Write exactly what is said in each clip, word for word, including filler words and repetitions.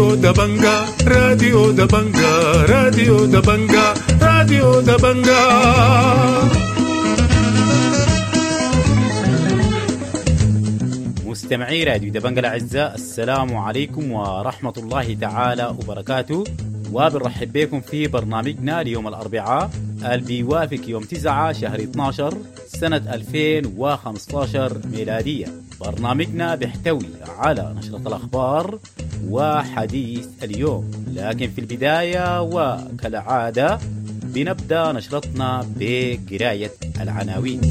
راديو دبنجا راديو دبنجا راديو دبنجا راديو دبنجا. مستمعي راديو دبنجا الأعزاء، السلام عليكم ورحمة الله تعالى وبركاته، وبنرحب بكم في برنامجنا ليوم الأربعاء اللي بيوافق يوم تسعة شهر اثناشر سنة ألفين وخمستاشر ميلادية. برنامجنا بيحتوي على نشرة الأخبار وحديث اليوم، لكن في البداية وكالعادة بنبدأ نشرتنا بقراية العناوين.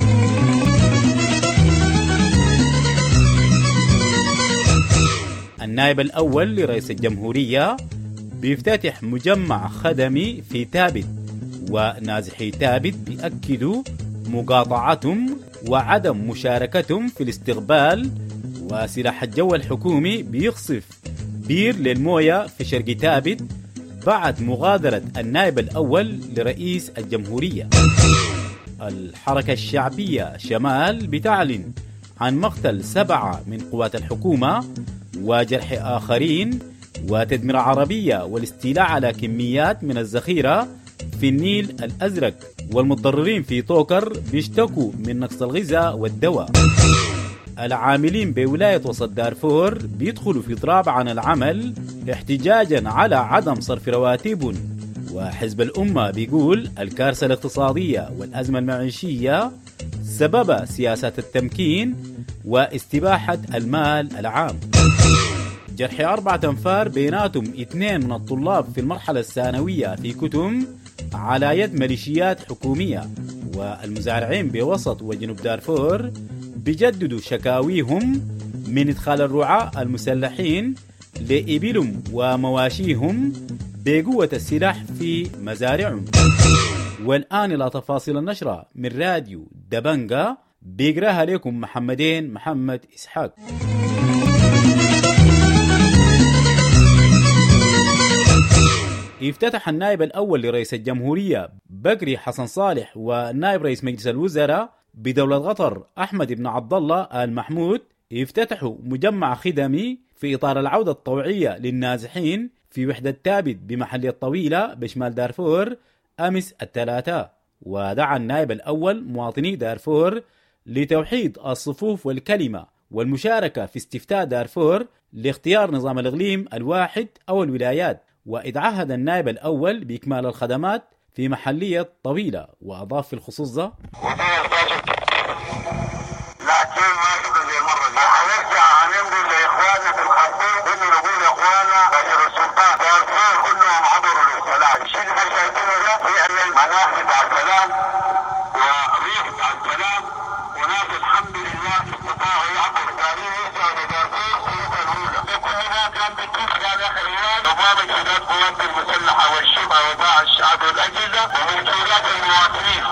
النائب الأول لرئيس الجمهورية بيفتتح مجمع خدمي في تابت، ونازحي تابت بيأكدوا مقاطعتهم وعدم مشاركتهم في الاستقبال، وسلاح الجو الحكومي بيقصف بير للموية في شرق تابت بعد مغادرة النائب الأول لرئيس الجمهورية. الحركة الشعبية شمال بتعلن عن مقتل سبعة من قوات الحكومة وجرح آخرين وتدمير عربية والاستيلاء على كميات من الذخيرة في النيل الأزرق، والمتضررين في طوكر بيشتكوا من نقص الغذاء والدواء. العاملين بولاية وسط دارفور بيدخلوا في إضراب عن العمل احتجاجا على عدم صرف رواتبهم. وحزب الأمة بيقول الكارثة الاقتصادية والأزمة المعيشية سبب سياسات التمكين واستباحة المال العام. جرح أربعة أنفار بيناتهم اثنين من الطلاب في المرحلة الثانوية في كتم على يد ميليشيات حكومية. والمزارعين بوسط وجنوب دارفور بيجددوا شكاويهم من إدخال الرعاة المسلحين لإبلهم ومواشيهم بقوة السلاح في مزارعهم. والآن إلى تفاصيل النشرة من راديو دبنجا بيقراها لكم محمدين محمد إسحاق. افتتح النائب الأول لرئيس الجمهورية بكري حسن صالح ونائب رئيس مجلس الوزراء بدولة قطر أحمد بن عبد الله آل محمود افتتحوا مجمع خدمي في إطار العودة الطوعية للنازحين في وحدة تابت بمحلية الطويلة بشمال دارفور أمس الثلاثاء. ودعا النائب الأول مواطني دارفور لتوحيد الصفوف والكلمة والمشاركة في استفتاء دارفور لاختيار نظام الإقليم الواحد أو الولايات. وإتعهد النائب الأول بإكمال الخدمات في محلية طويلة. وأضاف في الخصوص ده: لكن ما شفنا زي المرة دي، هنرجع هننقل لإخواننا في الخرطوم إنه نقول لإخواننا غير السلطان دارفور كلهم عبروا للسلام. الشيء اللي شايفينه ده فعلا مناخ بتاع السلام وريح بتاع السلام، وناس الحمد لله استطاعوا يعبروا. تاريخ يرجعوا لدارفور سنة الأولى، كل ده كان بيتم على خليان نظام انسداد قوات المسلحة والشبه وباع الشعب والأجهزة وممتلكات المواطنين.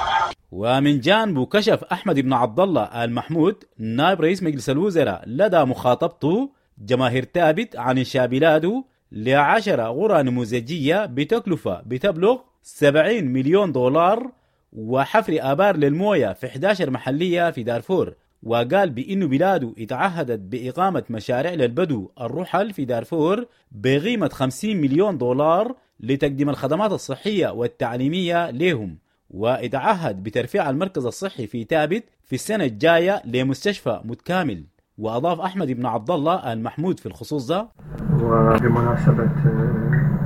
ومن جانبه كشف أحمد بن عبد الله آل محمود نائب رئيس مجلس الوزراء لدى مخاطبته جماهير تابت عن إنشاء بلاده لعشرة غرى نموذجية بتكلفة بتبلغ سبعين مليون دولار وحفر آبار للموية في إحدى عشر محلية في دارفور. وقال بأنه بلاده اتعهدت بإقامة مشاريع للبدو الرحل في دارفور بقيمة خمسين مليون دولار لتقديم الخدمات الصحية والتعليمية لهم. واتعهد بترفيع المركز الصحي في تابت في السنة الجاية لمستشفى متكامل. وأضاف أحمد بن عبد الله المحمود في الخصوص ده: وبمناسبة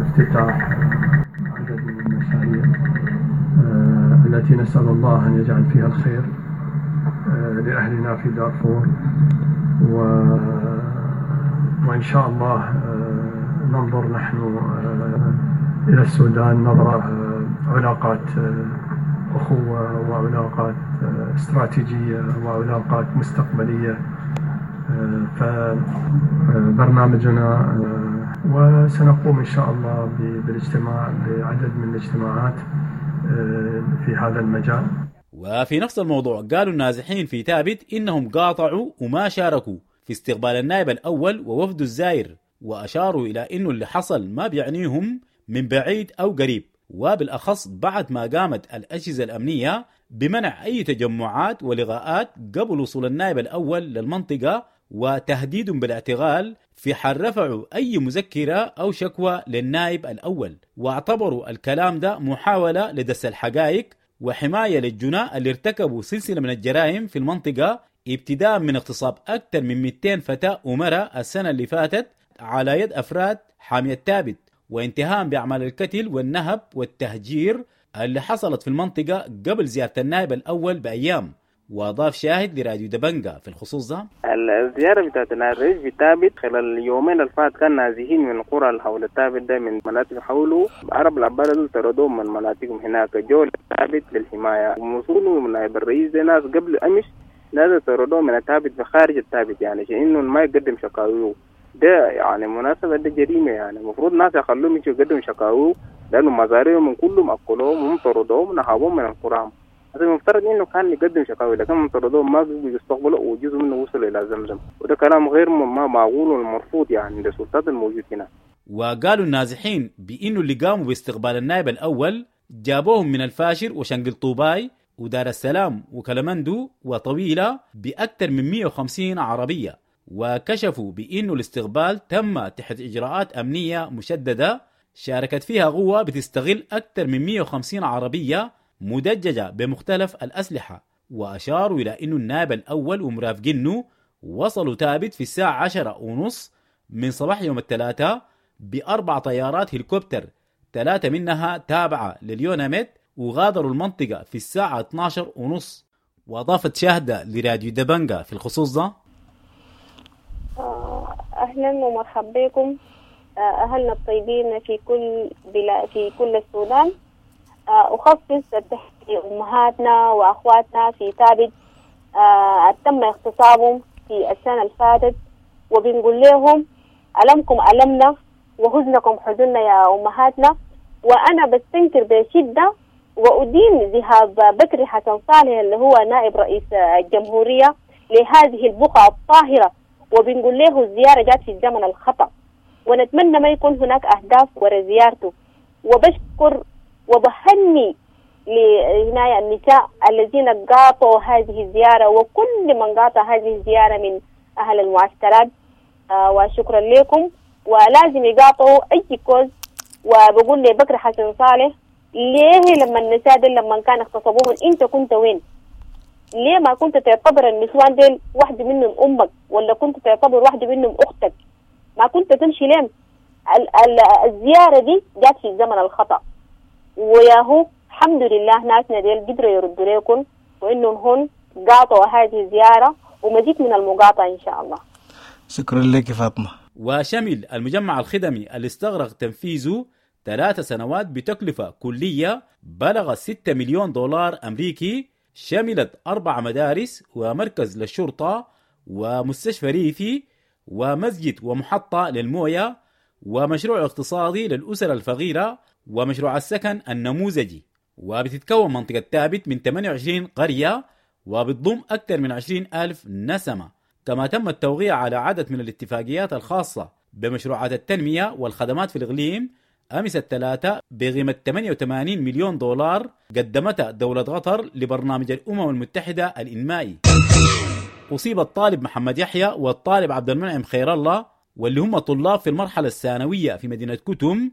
افتتاح عدد من المشاريع التي نسأل الله أن يجعل فيها الخير لأهلنا في دارفور، و... وإن شاء الله ننظر نحن إلى السودان نظرة علاقات أخوة وعلاقات استراتيجية وعلاقات مستقبلية. فبرنامجنا وسنقوم إن شاء الله بالاجتماع بعدد من الاجتماعات في هذا المجال. وفي نفس الموضوع قالوا النازحين في تابت إنهم قاطعوا وما شاركوا في استقبال النائب الأول ووفد الزائر، وأشاروا إلى إنه اللي حصل ما بيعنيهم من بعيد أو قريب، وبالأخص بعد ما قامت الأجهزة الأمنية بمنع أي تجمعات ولقاءات قبل وصول النائب الأول للمنطقة وتهديد بالاعتقال في حال رفعوا أي مذكرة أو شكوى للنائب الأول، واعتبروا الكلام ده محاولة لدس الحقائق وحماية للجناة اللي ارتكبوا سلسلة من الجرائم في المنطقة، ابتداء من اغتصاب أكثر من مئتين فتاة ومرأة السنة اللي فاتت على يد أفراد حامية تابت، وانتهاء بأعمال القتل والنهب والتهجير اللي حصلت في المنطقة قبل زيارة النائب الأول بأيام. وأضاف شاهد لراديو دبنجا في الخصوص ده: الزيارة بتاعت الرئيس بتابت خلال اليومين الفات كان نازحين من قرى حول التابت ده، من مناطق حوله عرب العبارة دول طردوهم من مناطقهم هناك، جو التابت للحماية، ووصولوا من نائب الرئيس ده ناس قبل أمس ناس طردوهم من التابت بخارج التابت، يعني عشان إنه ما يقدم شكاويه ده، يعني مناسبة ده جريمة، يعني المفروض ناس يخلوهم يجوا يقدموا شكاويه لأنه مزارعهم كلهم أكلوهم وطردوهم ونهبوهم من القرى. هذا المفترض انه كان يقدم شكاوي، لكن طردوهم ما بيستقبلوا وجزء منه وصل الى زمزم، وده كلام غير ما معقول والمرفوض يعني للسلطات الموجود هنا. وقالوا النازحين بانه اللي قاموا باستقبال النائب الاول جابوهم من الفاشر وشنقل طوباي ودار السلام وكلمندو وطويله باكثر من مئة وخمسين عربيه، وكشفوا بانه الاستقبال تم تحت اجراءات امنيه مشدده شاركت فيها قوه بتستغل اكثر من مئة وخمسين عربيه مدججة بمختلف الأسلحة. وأشاروا إلى أنه النائب الأول ومرافقينه وصلوا تابت في الساعة عشرة ونص من صباح يوم الثلاثاء بأربع طيارات هليكوبتر، ثلاثة منها تابعة لليوناميد، وغادروا المنطقة في الساعة اثناشر ونص. وأضافت شاهدة لراديو دبنجا في الخصوص ده: أهلا ومرحبا بكم أهلنا الطيبين في كل بلا في كل السودان. أخصص التحية لأمهاتنا وأخواتنا في ثابت آه تم اغتصابهم في السنة الفاتت، وبنقول لهم ألمكم ألمنا وحزنكم حزننا يا أمهاتنا. وأنا بستنكر بشدة وأدين ذهاب بكري حسن صالح اللي هو نائب رئيس الجمهورية لهذه البقعة الطاهرة، وبنقول له الزيارة جات في الزمن الخطأ، ونتمنى ما يكون هناك أهداف وراء زيارته. وبشكر وبهني لهنا النساء الذين قاطعوا هذه الزيارة وكل من قاطع هذه الزيارة من أهل المعسكرات، آه وشكرا لكم. ولازم يقاطعوا أي كوز. وبقول لبكر حسن صالح ليه لما النساء دي لما كان اغتصبوهم انت كنت وين؟ ليه ما كنت تعتبر النسوان ديل واحدة منهم أمك، ولا كنت تعتبر واحدة منهم أختك؟ ما كنت تمشي ليه؟ الزيارة دي جات في الزمن الخطأ، وياهو الحمد لله ناسنا ديل قدروا يردوا لكم وإنهم هون قاطعوا هذه الزيارة، ومزيد من المقاطعة إن شاء الله. شكرا لك فاطمة. وشمل المجمع الخدمي اللي استغرق تنفيذه ثلاث سنوات بتكلفة كلية بلغ ستة مليون دولار أمريكي، شملت أربع مدارس ومركز للشرطة ومستشفى ريفي ومسجد ومحطة للموية ومشروع اقتصادي للأسر الفقيرة ومشروع السكن النموذجي. وبتتكون منطقة تابت من ثمانية وعشرين قرية وبتضم أكثر من عشرين ألف نسمة. كما تم التوقيع على عدد من الاتفاقيات الخاصة بمشروعات التنمية والخدمات في الإقليم أمس الثلاثاء بقيمة ثمانية وثمانين مليون دولار قدمتها دولة قطر لبرنامج الأمم المتحدة الإنمائي. أصيب الطالب محمد يحيى والطالب عبد المنعم خير الله واللي هم طلاب في المرحلة الثانوية في مدينة كتم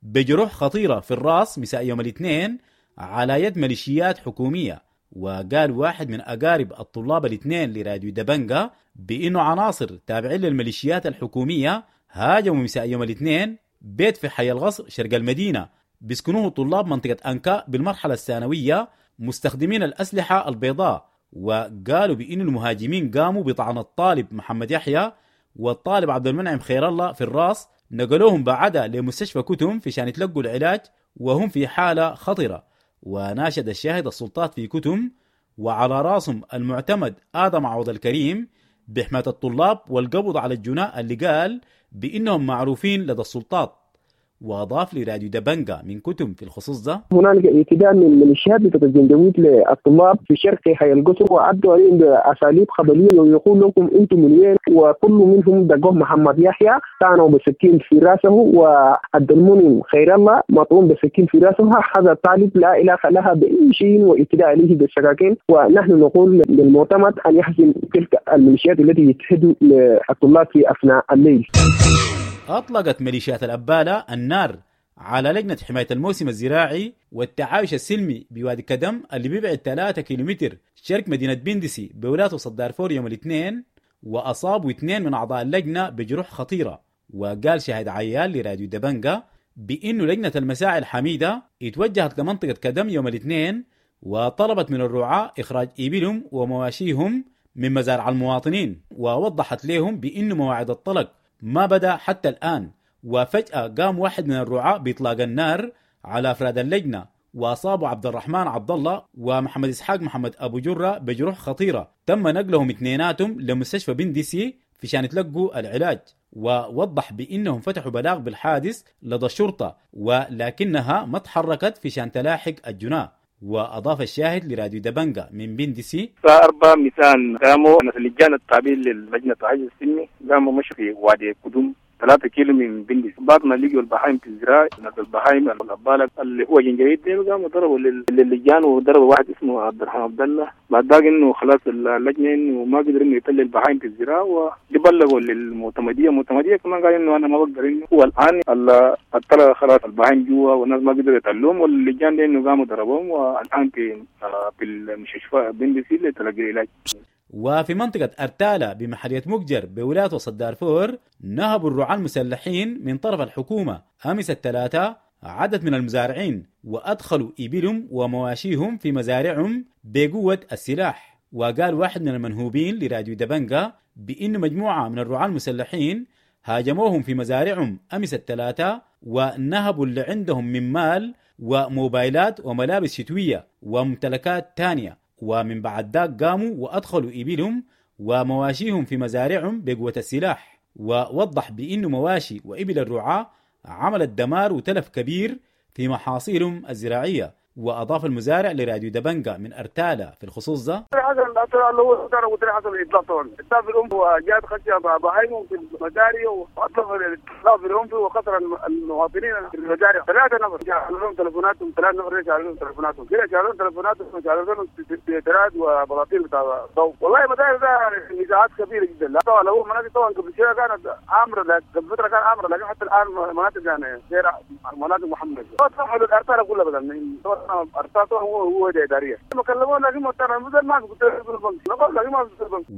بجروح خطيرة في الرأس مساء يوم الاثنين على يد ميليشيات حكومية. وقال واحد من أقارب الطلاب الاثنين لراديو دبنجا بأنه عناصر تابعين للميليشيات الحكومية هاجموا مساء يوم الاثنين بيت في حي الغصر شرق المدينة بيسكنوه طلاب منطقة أنكا بالمرحلة الثانوية مستخدمين الأسلحة البيضاء. وقالوا بأن المهاجمين قاموا بطعن الطالب محمد يحيى والطالب عبد المنعم خير الله في الراس، نقلوهم بعدها لمستشفى كتم في شان يتلقوا العلاج وهم في حالة خطرة. وناشد الشاهد السلطات في كتم وعلى راسهم المعتمد آدم عوض الكريم بحماية الطلاب والقبض على الجناء اللي قال بإنهم معروفين لدى السلطات. وأضاف لراديو دبنجا من كتم في الخصوص ده: هنالك اعتداء من ميليشيات بتاعت الجنجويد للطلاب في شرق حي القصر، وعدوا عليهم باساليب قبليه ويقول لكم انتم من وين، وكل منهم دقوه محمد يحيى طعنوا بسكين في راسه، وعبد المنعم خير الله مطعون بسكين في راسه. هذا الطالب لا علاقه لها باي شيء واعتداء عليه بالسكاكين، ونحن نقول للمعتمد ان يحزم تلك الميليشيات التي يتهدوا للطلاب في اثناء الليل. أطلقت ميليشيات الأبالة النار على لجنة حماية الموسم الزراعي والتعايش السلمي بوادي كدم اللي بيبعد ثلاثة كيلومتر شرق مدينة بندسي بولاية وسط دارفور يوم الاثنين، وأصابوا اثنين من أعضاء اللجنة بجروح خطيرة. وقال شاهد عيال لراديو دبنجا بأنه لجنة المساعي الحميدة اتوجهت لمنطقة كدم يوم الاثنين وطلبت من الرعاة إخراج إبلهم ومواشيهم من مزارع المواطنين، ووضحت لهم بأنه مواعيد الطلق ما بدأ حتى الآن. وفجأة قام واحد من الرعاة بإطلاق النار على أفراد اللجنة، وأصابوا عبد الرحمن عبد الله ومحمد إسحاق محمد أبو جرة بجروح خطيرة، تم نقلهم اثنيناتهم لمستشفى بندسي في شان يتلقوا العلاج. ووضح بأنهم فتحوا بلاغ بالحادث لدى الشرطة، ولكنها ما تحركت في شان تلاحق الجناة. وأضاف الشاهد لراديو دبنجا من بندسي: الساعة أربعة مساء قاموا اللجان التابعين للجنة التعايش السلمي قاموا مشوا في وادي قدوم ثلاثة كيلو من بندس. بعد ما لقوا البهايم في الزراعة، ناس البهايم الأبالة اللي هو جنجريد ديل قاموا ضربوا للجان وضربوا واحد اسمه عبد الرحمن عبد الله. بعد ذاك انه خلاص اللجنة انه ما قدروا انه يطلع البهايم في الزراعة، وبلغوا للمعتمدية. المعتمدية كمان قال انه انا ما بقدر، انه هو الان الطلع خلاص البهايم جوا والناس ما قدروا يطلعوهم، واللجان دي انه قاموا ضربوهم، والان في في المستشفى بندسي لتلقي العلاج. وفي منطقة أرتالة بمحلية مقجر بولاية وسط دارفور، نهبوا الرعاة المسلحين من طرف الحكومة أمس الثلاثاء عدد من المزارعين، وأدخلوا إبلهم ومواشيهم في مزارعهم بقوة السلاح. وقال واحد من المنهوبين لراديو دبنجا بأن مجموعة من الرعاة المسلحين هاجموهم في مزارعهم أمس الثلاثاء، ونهبوا اللي عندهم من مال وموبايلات وملابس شتوية وممتلكات تانية. ومن بعد ذاك قاموا وأدخلوا إبلهم ومواشيهم في مزارعهم بقوة السلاح. ووضح بأنه مواشي وإبل الرعاة عملت دمار وتلف كبير في محاصيلهم الزراعية. وأضاف المزارع لراديو دبنجا من أرتالة في الخصوص ده: حصل هو حصل إطلاق طبعا إطلاق الأنف، وجاءت خشية بهايم في المزارع وأطلق الإطلاق في الأنف وخسر المواطنين في المزارع ثلاثة نفر. شالوا لهم تليفوناتهم، ثلاثة نفر شالوا لهم تليفوناتهم كده، شالوا لهم تليفوناتهم وشالوا لهم سيترات وبلاطيل بتاع ضوء. والله مزارع ده نزاعات كبيرة جدا. لا طبعا هو مناطق طبعا قبل شوية كانت عامرة، قبل فترة كان عامرة، لكن حتى الآن مناطق يعني غير مناطق محمد طبعا الأرتالة كلها بدل أرتالة هو هو إدارية ما كلمونا لكن ما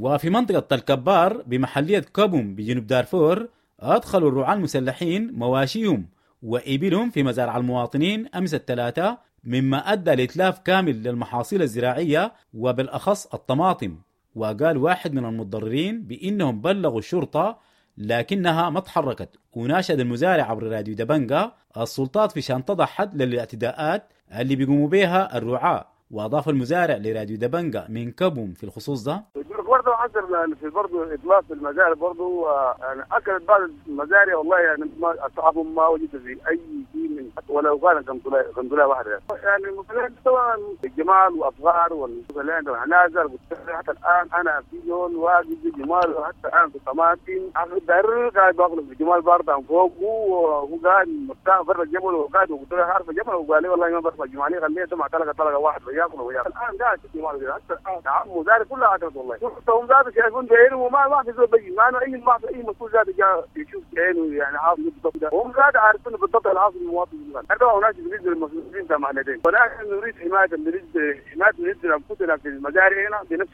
وفي منطقة تلكبار بمحلية كابوم بجنوب دارفور، أدخلوا الرعاة المسلحين مواشيهم وإبلهم في مزارع المواطنين أمس الثلاثاء، مما أدى لإتلاف كامل للمحاصيل الزراعية وبالأخص الطماطم. وقال واحد من المتضررين بأنهم بلغوا الشرطة لكنها ما تحركت. وناشد المزارع عبر راديو دبنجا السلطات في شان تضع حد للاعتداءات اللي بيقوموا بها الرعاة. وأضاف المزارع لراديو دبنجا من كابوم في الخصوص ده: برضه حصل في برضه إطلاق في المزارع برضه، يعني أكلت بعض المزارع والله، يعني ما أصحابهم ما وجدوا في أي شيء من ولو كان قنبلة واحدة يعني. مثلا طبعا الجمال وأصغار والعنازر حتى الآن أنا في جول واقف جمال، وحتى الآن في طماطم داير قاعد باكل في جمال برضه عن فوق، وهو قاعد مرتاح برا الجبل وقاعد وقلت له عارف الجبل، وقال لي والله ما برفع جمالي خليه مع طلقة طلقة واحد وياكل وياكل. الآن قاعد في جمال حتى الآن مزارع كلها عدت والله، هم ذات شايفون بعينه وما ما في زول بيجي، ما أنا أي ما في أي مسؤول ذات جاء يشوف بعينه يعني عارف بالضبط، هم ذات عارفين بالضبط العاصم المواطن. هذا هناك بالنسبة للمسؤولين تاع معلدين، ولكن نريد حماية نريد حماية نريد أنفسنا في المزارع هنا بنفس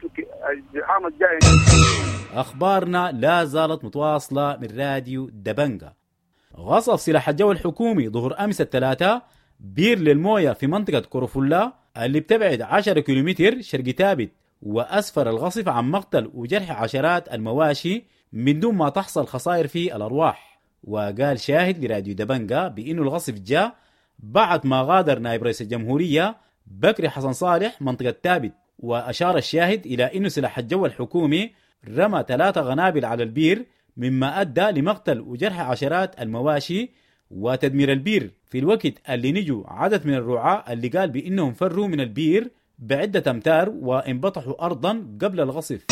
العام الجاي. أخبارنا لا زالت متواصلة من راديو دبنجا. غصف سلاح الجو الحكومي ظهر أمس الثلاثاء بير للموية في منطقة كوروفولا اللي بتبعد عشرة كيلومتر شرق تابت، وأسفر الغصف عن مقتل وجرح عشرات المواشي من دون ما تحصل خسائر في الأرواح. وقال شاهد لراديو دبنجا بأنه الغصف جاء بعد ما غادر نائب رئيس الجمهورية بكري حسن صالح منطقة تابت. وأشار الشاهد إلى أنه سلاح الجو الحكومي رمى ثلاثة غنابل على البير مما أدى لمقتل وجرح عشرات المواشي وتدمير البير في الوقت اللي نجوا عدد من الرعاة اللي قال بأنهم فروا من البير بعدة أمتار وانبطحوا أرضا قبل الغصف.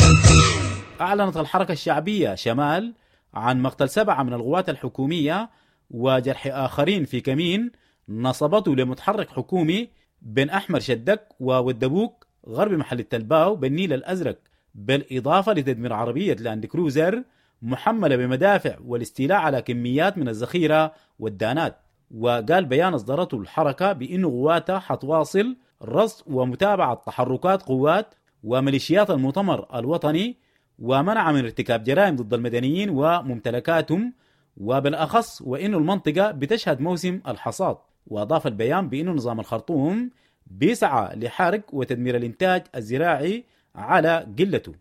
أعلنت الحركة الشعبية شمال عن مقتل سبعة من القوات الحكومية وجرح آخرين في كمين نصبته لمتحرك حكومي بين أحمر شدك وودبوك غرب محل التلباو بالنيل الأزرق، بالإضافة لتدمير عربية لاند كروزر محملة بمدافع والاستيلاء على كميات من الذخيرة والدانات. وقال بيان أصدرته الحركة بأن قواتها حتواصل رصد ومتابعة تحركات قوات وميليشيات المؤتمر الوطني ومنع من ارتكاب جرائم ضد المدنيين وممتلكاتهم، وبالأخص وإنه المنطقة بتشهد موسم الحصاد. وأضاف البيان بأنه نظام الخرطوم بيسعى لحرق وتدمير الإنتاج الزراعي على قلته.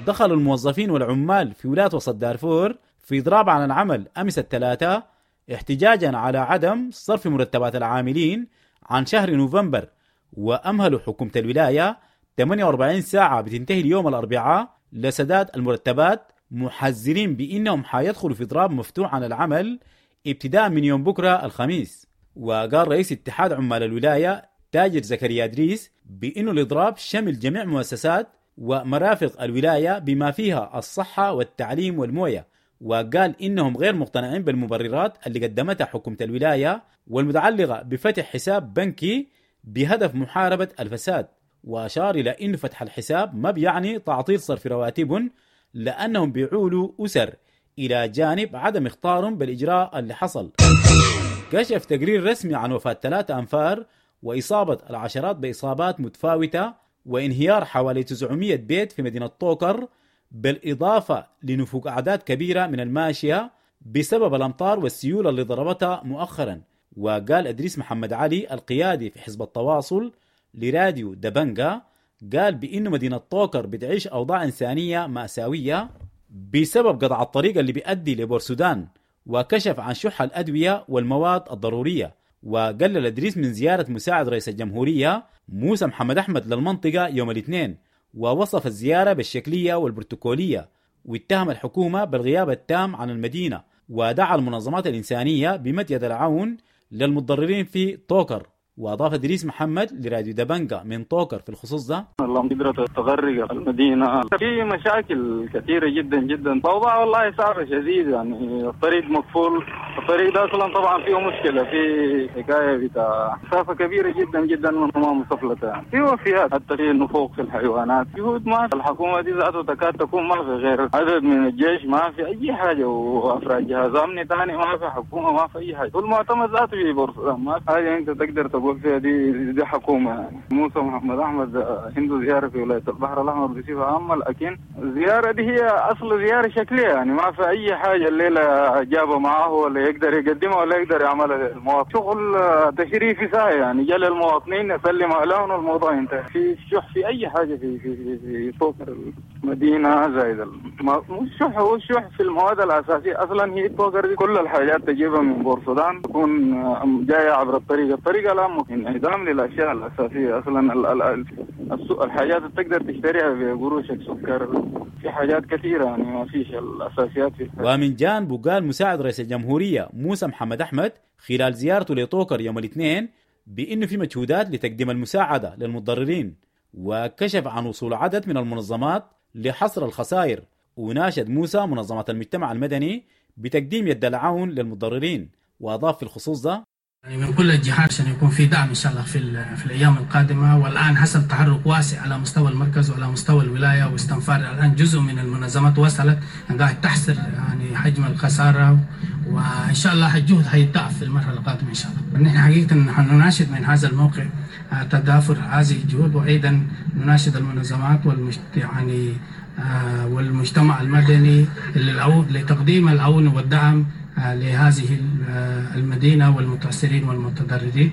دخل الموظفين والعمال في ولاية وسط دارفور في إضراب عن العمل أمس الثلاثاء احتجاجا على عدم صرف مرتبات العاملين عن شهر نوفمبر، وأمهلوا حكومة الولاية ثمانية وأربعين ساعة بتنتهي اليوم الأربعاء لسداد المرتبات، محذرين بأنهم حيدخلوا في إضراب مفتوح عن العمل ابتداء من يوم بكرة الخميس. وقال رئيس اتحاد عمال الولاية تاجر زكريا إدريس بأنه الإضراب شمل جميع مؤسسات ومرافق الولاية بما فيها الصحة والتعليم والموية، وقال إنهم غير مقتنعين بالمبررات اللي قدمتها حكومة الولاية والمتعلقة بفتح حساب بنكي بهدف محاربة الفساد. وأشار إلى إن فتح الحساب ما بيعني تعطيل صرف رواتبهم لأنهم بيعولوا أسر، إلى جانب عدم اختارهم بالإجراء اللي حصل. كشف تقرير رسمي عن وفاة ثلاثة أنفار وإصابة العشرات بإصابات متفاوتة وانهيار حوالي تسعمية بيت في مدينة طوكر، بالإضافة لنفوق أعداد كبيرة من الماشية بسبب الأمطار والسيولة اللي ضربتها مؤخرا. وقال إدريس محمد علي القيادي في حزب التواصل لراديو دبنجا، قال بأنه مدينة طوكر بتعيش أوضاع إنسانية مأساوية بسبب قطع الطريق اللي بيؤدي لبورسودان، وكشف عن شح الأدوية والمواد الضرورية. وقلل إدريس من زيارة مساعد رئيس الجمهورية موسى محمد أحمد للمنطقة يوم الاثنين، ووصف الزيارة بالشكلية والبروتوكولية، واتهم الحكومة بالغياب التام عن المدينة، ودعا المنظمات الإنسانية بمد يد العون للمتضررين في طوكر. وأضاف إدريس محمد لراديو دبنجا من طوكر في الخصوص ده: اللهم قدرت تغرق المدينة، في مشاكل كثيرة جدا جدا، الأوضاع والله صعبة شديد، يعني الطريق مقفول، الطريق ده أصلا طبعا فيه مشكلة، في حكاية بتاع مسافة كبيرة جدا جدا من أمام مصفلة، يعني في وفيات، حتى في نفوق في الحيوانات، جهود ما في الحكومة دي ذاته تكاد تكون ما في غير عدد من الجيش، ما في أي حاجة، وأفراد جهاز أمني ثاني ما في حكومة، ما في أي حاجة، والمعتمد ذاته في بورسودان ما في حاجة أنت تقدر تقول فيها دي دي حكومة. يعني موسى محمد أحمد عنده زيارة في ولاية البحر الأحمر بصفة عامة، لكن الزيارة دي هي أصل زيارة شكلية، يعني ما في أي حاجة الليلة جابها معاه ولا يقدر يقدمها ولا يقدر يعملها للمواطن، شغل تشريفي ساي، يعني جا للمواطنين يسلم عليهم والموضوع انتهى. في شح في أي حاجة في في في, في طوكر المدينة زايد الشح، هو الشح في المواد الأساسية أصلا. هي طوكر دي كل الحاجات تجيبها من بورسودان، تكون جاية عبر الطريق، الطريق الآن انعدام للأشياء الأساسية أصلا، الحاجات اللي تقدر تشتريها بقروشك، سكر، في حاجات كثيرة، يعني ما فيش الأساسيات في. ومن جانبه قال مساعد رئيس الجمهورية موسى محمد أحمد خلال زيارته لطوكر يوم الاثنين بأنه في مجهودات لتقديم المساعدة للمتضررين، وكشف عن وصول عدد من المنظمات لحصر الخسائر. وناشد موسى منظمات المجتمع المدني بتقديم يد العون للمتضررين. وأضاف في الخصوص ده: يعني من كل الجهات عشان يكون في دعم إن شاء الله في في الأيام القادمة. والآن حصل تحرك واسع على مستوى المركز وعلى مستوى الولاية واستنفار، الآن جزء من المنظمات وصلت قاعد تحصر يعني حجم الخسارة، وإن شاء الله الجهد هيتضاعف في المرحلة القادمة إن شاء الله. نحن حقيقة نناشد من هذا الموقع تضافر هذه الجهود، وأيضا نناشد المنظمات والمجت يعني والمجتمع المدني لتقديم العون والدعم لهذه المدينة والمتأثرين والمتضررين.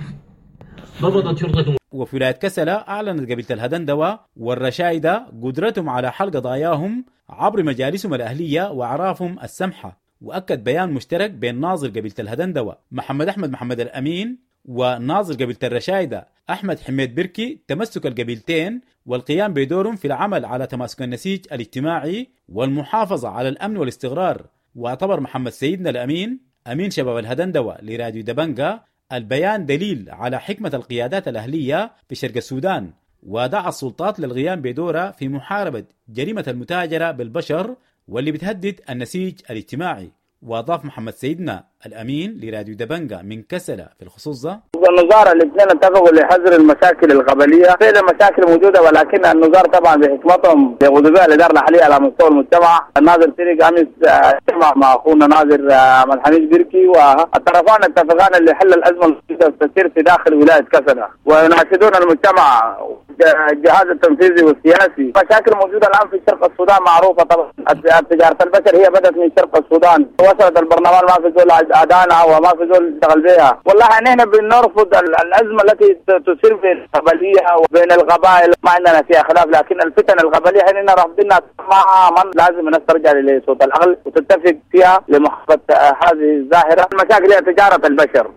ضبطت شرطة. وفي ولاية كسلة أعلنت قبيلة الهدندوة والرشايدة قدرتهم على حل قضاياهم عبر مجالسهم الأهلية وأعرافهم السمحة. وأكد بيان مشترك بين ناظر قبيلة الهدندوة محمد أحمد محمد الأمين وناظر قبيلة الرشايدة أحمد حميد بركي تمسك القبيلتين والقيام بدورهم في العمل على تماسك النسيج الاجتماعي والمحافظة على الأمن والاستقرار. واعتبر محمد سيدنا الأمين أمين شباب الهدندوة لراديو دبنجا، البيان دليل على حكمة القيادات الأهلية في شرق السودان، ودعا السلطات للقيام بدورها في محاربة جريمة المتاجرة بالبشر واللي بتهدد النسيج الاجتماعي. وأضاف محمد سيدنا الأمين لراديو دبنجا من كسلة في الخصوص ده: النظار الاثنين اتفقوا لحظر المشاكل القبلية، فعلا مشاكل موجودة، ولكن النظار طبعا بحكمتهم بيقودوا بها الادارة الحالية على مستوى المجتمع. الناظر تريق امس اجتمع مع اخونا ناظر عبد الحميد بيركي، والطرفان اتفقان لحل الازمة التي تسير في داخل ولاية كسلة، ويناشدون المجتمع الجهاز التنفيذي والسياسي. مشاكل موجودة الان في شرق السودان معروفة طبعا، تجارة البشر هي بدات من شرق السودان، وصلت البرلمان ما في زول ادانها وما في زول اشتغل بها. والله نحن بنرفض الازمة التي تصير في القبلية وبين القبائل، ما عندنا فيها خلاف، لكن الفتن القبلية نحن رافضينها تماما. لازم الناس ترجع لصوت العقل وتتفق فيها لمحاربة هذه الظاهرة. المشاكل هي تجارة البشر.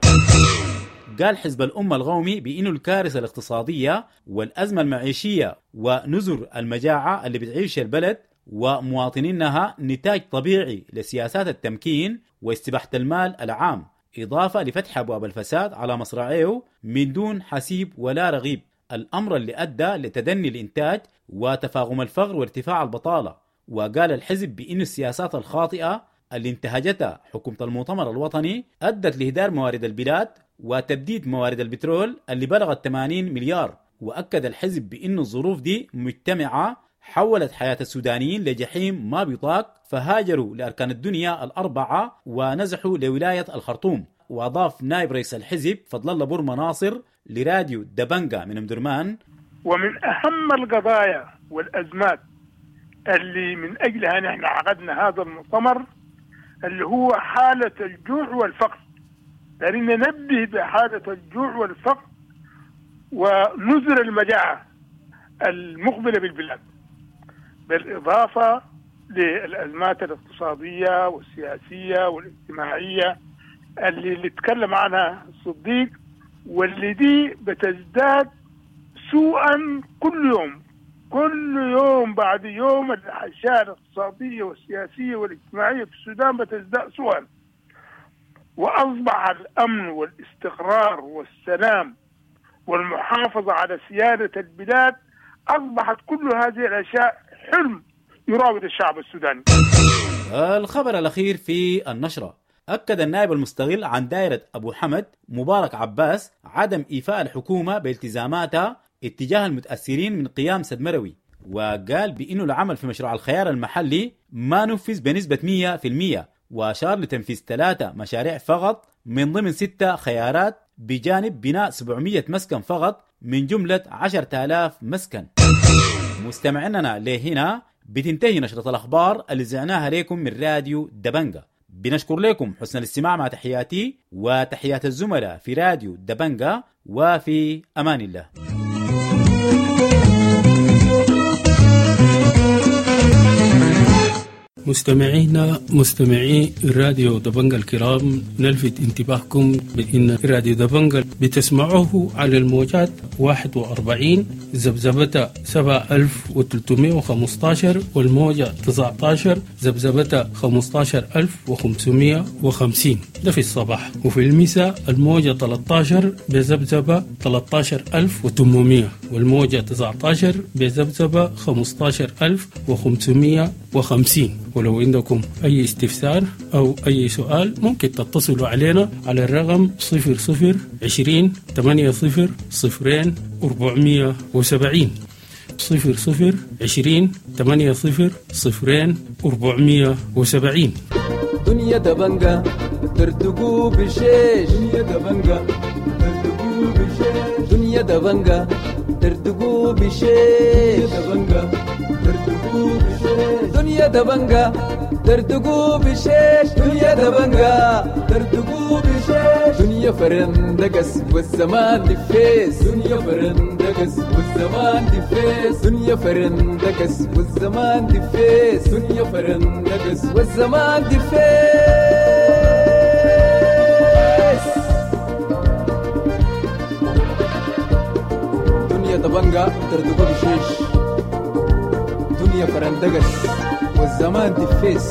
قال حزب الأمة القومي بأنه الكارثة الاقتصادية والأزمة المعيشية ونزر المجاعة اللي بتعيش البلد ومواطنينها نتاج طبيعي لسياسات التمكين واستباحة المال العام، إضافة لفتح أبواب الفساد على مصراعيه من دون حسيب ولا رغيب، الأمر اللي أدى لتدني الإنتاج وتفاقم الفقر وارتفاع البطالة. وقال الحزب بأن السياسات الخاطئة اللي انتهجتها حكومة المؤتمر الوطني أدت لإهدار موارد البلاد وتبديد موارد البترول اللي بلغت ثمانين مليار. وأكد الحزب بأن الظروف دي مجتمعة حولت حياة السودانيين لجحيم ما بيطاق، فهاجروا لأركان الدنيا الأربعة ونزحوا لولاية الخرطوم. وأضاف نائب رئيس الحزب فضل الله بورما ناصر لراديو دبنجا من أمدرمان: ومن أهم القضايا والأزمات اللي من أجلها نحن عقدنا هذا المؤتمر اللي هو حالة الجوع والفقر. لأن ننبه بحالة الجوع والفقر ونزر المجاعة المقبلة بالبلاد، بالإضافة للأزمات الاقتصادية والسياسية والاجتماعية اللي, اللي تكلم عنها الصديق، واللي دي بتزداد سوءا كل يوم، كل يوم بعد يوم الأشياء الاقتصادية والسياسية والاجتماعية في السودان بتزداد سوءا. وأصبح الأمن والاستقرار والسلام والمحافظة على سيادة البلاد، أصبحت كل هذه الأشياء حلم يراود الشعب السوداني. الخبر الأخير في النشرة: أكد النائب المستغل عن دائرة أبو حمد مبارك عباس عدم إيفاء الحكومة بالتزاماتها اتجاه المتأثرين من قيام سد مروي، وقال بأنه العمل في مشروع الخيار المحلي ما نفذ بنسبة مئة بالمئة، وأشار لتنفيذ ثلاثة مشاريع فقط من ضمن ستة خيارات، بجانب بناء سبعمئة مسكن فقط من جملة عشرة آلاف مسكن. مستمعيننا لهنا بتنتهي نشرة الأخبار اللي زعناها لكم من راديو دبنجا. بنشكر لكم حسن الاستماع، مع تحياتي وتحيات الزملاء في راديو دبنجا، وفي أمان الله. مستمعينا مستمعي راديو دبنجا الكرام، نلفت انتباهكم بأن راديو دبنجا بتسمعوه على الموجات واحد وأربعين ذبذبة سبعة ألف وثلاثمائة وخمسة عشر والموجة تسعة عشر ذبذبة خمسة عشر ألف وخمسمائة وخمسين، ده في الصباح، وفي المساء الموجة ثلاثة عشر بذبذبة ثلاثة عشر ألف وثمانمائة والموجة تسعة عشر بذبذبة خمسة عشر ألف وخمسمائة وخمسين. ولو عندكم أي استفسار أو أي سؤال ممكن تتصلوا علينا على الرقم صفر صفر عشرين ثمانية صفر صفرين أربعمية وسبعين، صفر صفر عشرين ثمانية صفر صفرين أربعمية وسبعين. دنيا دبنجا ترتقو بشيش، دنيا دبنجا ترتقو بشيش، دنيا دبنجا ترتقو بشيش، دبنجا ترتقو بشيش، دنيا دبنجا ترتقو بشيش، دنيا دبنجا ترتقو بشيش، دنيا فرندقس والزمان دفيس، دنيا فرندقس والزمان دفيس، دنيا فرندقس والزمان دفيس، دنيا فرندقس والزمان دفيس. دنيا دبنجا ترتقو بشيش، دنيا فرندقس والزمان دفيس.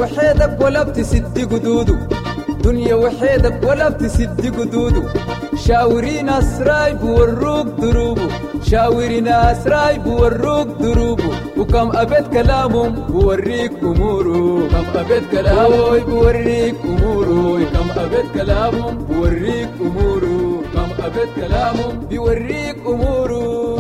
وحيدك ولا بتسد قدوده، دنيا وحيدك ولا بتسد قدوده، شاوري ناس رايب وروك دروبه، شاوري ناس رايب وروك دروبه، وكم أبيت كلامهم بوريك أموره، كم أبيت كلامه بوريك أموره، كم أبيت كلامهم بوريك أموره، كم أبيت كلامهم بيوريك أموره.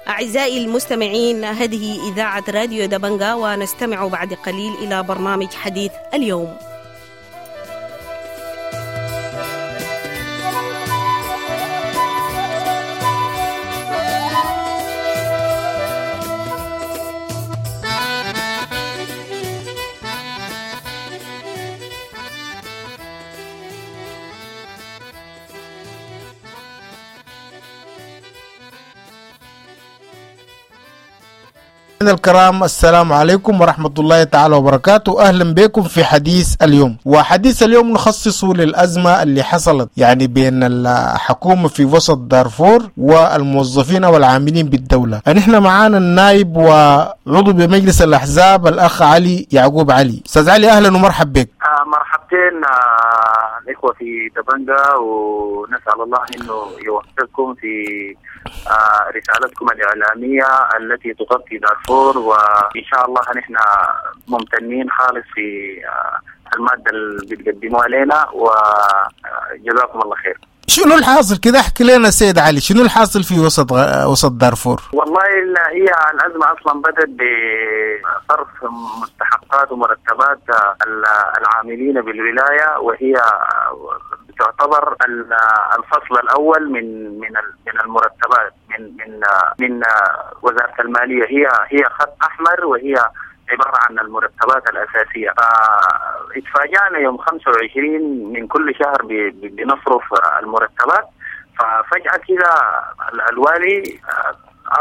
أعزائي المستمعين، هذه إذاعة راديو دبنجا، ونستمع بعد قليل إلى برنامج حديث اليوم. الكرام، السلام عليكم ورحمة الله تعالى وبركاته. أهلا بكم في حديث اليوم، وحديث اليوم نخصصه للأزمة اللي حصلت يعني بين الحكومة في وسط دارفور والموظفين والعاملين بالدولة. نحن معانا النائب وعضو بمجلس الأحزاب الأخ علي يعقوب علي. أستاذ علي، أهلا ومرحب بك. آه مرحبتين آه الإخوة في دبنجا، ونسأل الله أنه يوفقكم في آه رسالتكم الإعلامية التي تغطي دارفور، وإن شاء الله نحن ممتنين خالص في آه المادة اللي بتقدموها لنا، وجزاكم الله خير. شنو الحاصل كده؟ احكي لنا سيد علي، شنو الحاصل في وسط وسط دارفور؟ والله هي الأزمة أصلا بدأت بصرف مستحقات ومرتبات العاملين بالولاية، وهي تعتبر الفصل الأول من من من المرتبات من من من وزارة المالية. هي هي خط أحمر، وهي عبارة عن المرتبات الأساسية. فاتفاجأنا يوم خمسة وعشرين من كل شهر بنصرف المرتبات، ففجأة كده الوالي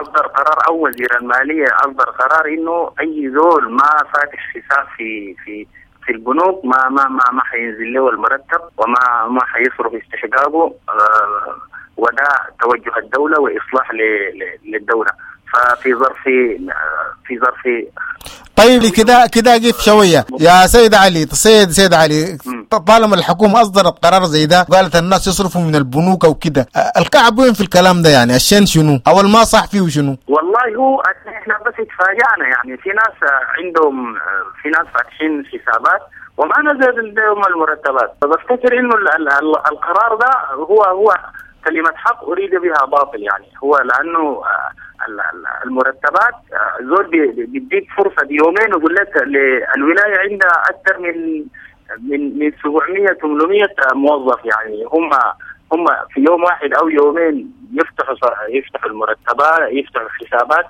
أصدر قرار، أو وزير المالية أصدر قرار إنه أي زول ما فاتح حساب في في في البنوك ما ما ما ما حينزل له المرتب، وما ما حيصرف استحقاقه، وده توجه الدولة وإصلاح للدولة. ففي ظرف في ظرف طيب كده كده قف شوية يا سيد علي. سيد سيد علي، طالما الحكومة اصدرت قرار زي ده وقالت الناس يصرفوا من البنوك وكده، الكعب وين في الكلام ده؟ يعني الشين شنو او ما صح فيه شنو؟ والله هو احنا بس اتفاجئنا، يعني في ناس عندهم، في ناس فاتحين حسابات وما نزل لهم المرتبات. فبفتكر انه القرار ده هو هو كلمة حق اريد بها باطل، يعني هو لانه المرتبات زول بيديك فرصة بيومين ويقول لك الولاية عندها اكثر من من من سبعمية ثمانمية موظف، يعني هم هم في يوم واحد او يومين يفتحوا يفتحوا المرتبات، يفتحوا الحسابات.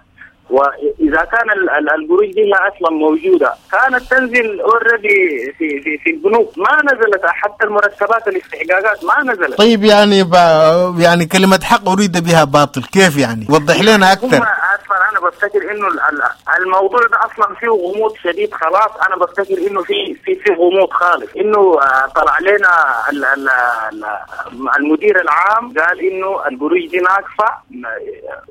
واذا كان القروش دي اصلا موجودة كانت تنزل already في في في البنوك، ما نزلت حتى المرتبات الاستحقاقات ما نزلت. طيب يعني ب... يعني كلمة حق اريد بها باطل، كيف يعني؟ وضح لنا اكثر. اصلا انا بفتكر انه الموضوع ده اصلا فيه غموض شديد خلاص. انا بفتكر انه في في في غموض خالص، انه طلع لنا المدير العام قال انه القروش دي ناقصه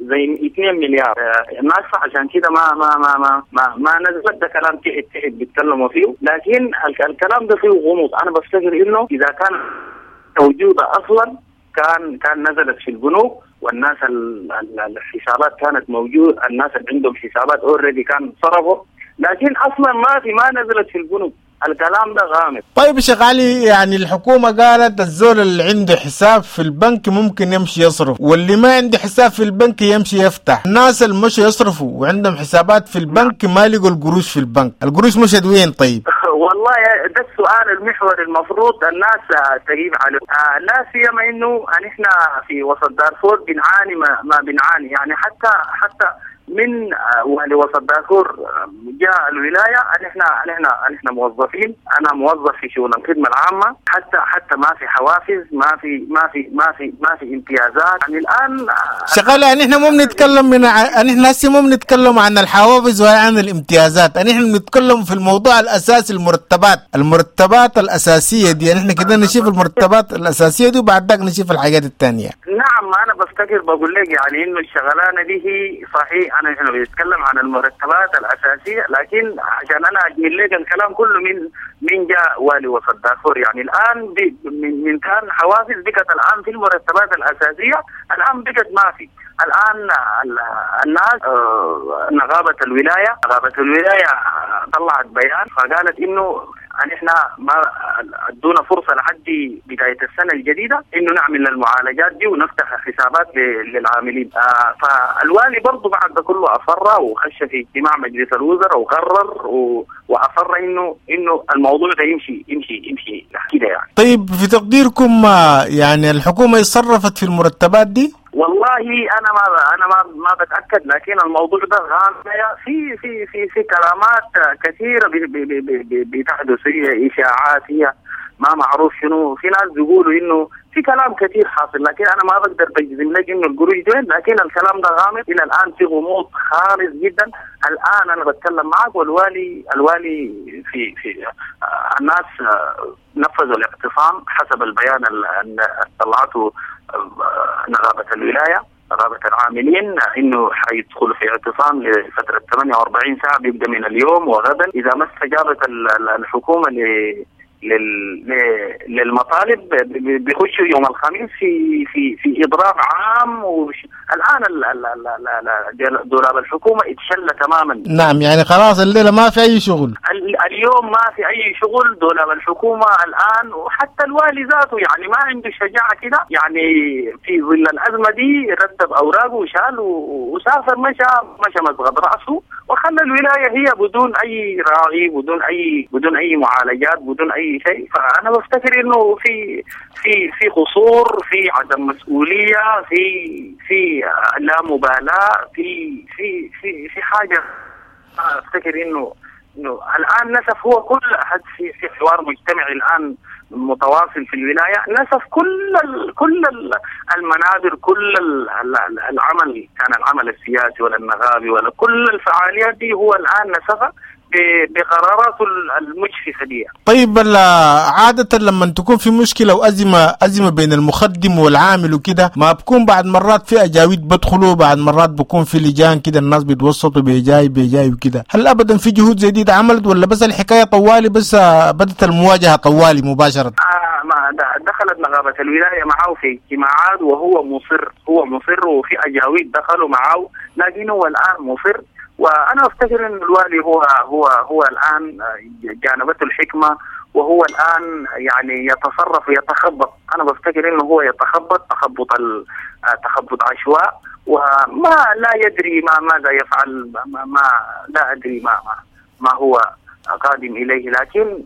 زي اثنين مليار ناقصه، عشان كده ما ما ما ما ما, ما نزلت. ده كلام تحت تحت بيتكلموا فيه، لكن الكلام ده فيه غموض. انا بفتكر انه اذا كان موجودة اصلا كان كان نزلت في البنوك، والناس الحسابات كانت موجود، الناس اللي عندهم حسابات already كان صرفوا، لكن اصلا ما في ما نزلت في البنوك. الكلام ده غامض. طيب شيخ علي، يعني الحكومة قالت الزول اللي عنده حساب في البنك ممكن يمشي يصرف، واللي ما عنده حساب في البنك يمشي يفتح. الناس اللي مشوا يصرفوا وعندهم حسابات في البنك ما لقوا القروش في البنك، القروش مشت وين؟ طيب والله والله ده السؤال المحوري المفروض الناس تجيب عليه. آه لا سيما انه نحن في وسط دارفور بنعاني ما, ما بنعاني يعني، حتى حتى من والي وسط دارفور جاء الولاية نحن نحن نحن موظفين، انا موظف في شؤون الخدمة العامة، حتى حتى ما في حوافز، ما في ما في ما في ما في امتيازات يعني الان شغالة. يعني احنا مو بنتكلم من ع... نحن هسه مو بنتكلم عن الحوافز ولا عن الامتيازات، يعني احنا بنتكلم في الموضوع الاساسي، المرتبات، المرتبات الاساسية دي. يعني احنا كده نشوف المرتبات الاساسية دي وبعد ذاك نشوف الحاجات الثانية. نعم انا بفتكر بقول لك يعني انه الشغلانة دي هي صحيح انا احنا بنتكلم عن المرتبات الاساسية، لكن عشان انا اجمل لك الكلام كله من من جاء والي وسط دارفور يعني الان من من كان حوافز بقت الان في المرتبات الاساسية، الان بقت ما في. الان الناس نغابه الولاية، نغابه الولاية طلعت بيان فقالت انه نحن ما ادونا فرصة لحد بداية السنة الجديدة انه نعمل المعالجات دي ونفتح حسابات للعاملين. آه فالوالي برضه بعد ده كله اصر وخش في اجتماع مجلس الوزراء وقرر و... واصر انه انه الموضوع ده يمشي يمشي يمشي كده يعني. طيب في تقديركم يعني الحكومة اتصرفت في المرتبات دي؟ والله انا ما انا ما ما بتاكد، لكن الموضوع ده غامض، في في في في كلامات كثيرة بتحدث، هي اشاعات، هي ما معروف شنو، في ناس بيقولوا انه في كلام كثير حاصل، لكن انا ما بقدر بجزم لك انه القروش وين، لكن الكلام ده غامض الى الان، في غموض خالص جدا. الان انا بتكلم معك والوالي الوالي في في الناس نفذوا الاعتصام حسب البيان اللي طلعته نغابة الولاية، نغابة العاملين، انه حيدخلوا في اعتصام لفترة ثمانية وأربعين ساعة بيبدأ من اليوم وغدا، اذا ما استجابت الحكومة ل للمطالب بيخشوا يوم الخميس في في في اضراب عام. وش... الان دولاب الحكومة اتشل تماما. نعم يعني خلاص الليلة ما في اي شغل، اليوم ما في اي شغل، دولاب الحكومة الان، وحتى الوالي ذاته يعني ما عنده شجاعة كده، يعني في ظل الازمة دي رتب اوراقه وشال وسافر، مشى مشى مسقط راسه وخلى الولاية هي بدون اي راعي، بدون اي بدون اي معالجات، بدون اي شيء. فانا بفتكر انه في في في قصور، في عدم مسؤولية، في في لا مبالاة، في في في في حاجة. افتكر انه انه الان نسف هو كل احد في في حوار مجتمعي الان متواصل في الولاية، نسف كل ال كل ال المنابر، كل ال العمل، كان العمل السياسي ولا النغابي ولا كل الفعاليات دي هو الان نسفها بقراراته المجحفه دي. طيب عادة لما تكون في مشكلة وازمة ازمة بين المخدم والعامل وكده، ما بكون بعد مرات في اجاويد بدخلوا، بعد مرات بكون في لجان كده الناس بيتوسطوا بيجاي بيجاي وكده، هل ابدا في جهود زي دي اتعملت ولا بس الحكاية طوالي بس بدت المواجهة طوالي مباشرة؟ آه ما دخلت نغابه الولاية معه في اجتماعات وهو مصر، هو مصر، وفي اجاويد دخلوا معه، لكن هو الان مصر. وانا افتكر ان الوالي هو هو هو الان جانبته الحكمة، وهو الان يعني يتصرف ويتخبط. انا بفتكر انه هو يتخبط تخبط تخبط عشواء، وما لا يدري ما ماذا يفعل، ما, ما لا ادري ما ما هو قادم اليه، لكن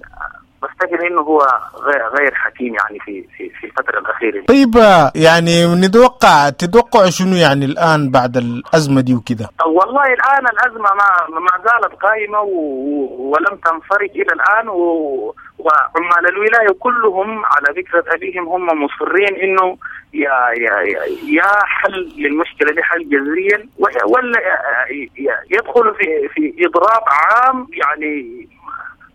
بفتكر انه هو غير غير حكيم يعني في في في الفترة الاخيرة. طيب يعني نتوقع تتوقع شنو يعني الان بعد الازمة دي وكده؟ والله الان الازمة ما ما زالت قائمة ولم تنفرج الى الان، وعمال الولاية كلهم على ذكرى ابيهم هم مصرين انه يا يا يا حل للمشكلة دي، حل جذريا، ولا يدخل في في اضراب عام يعني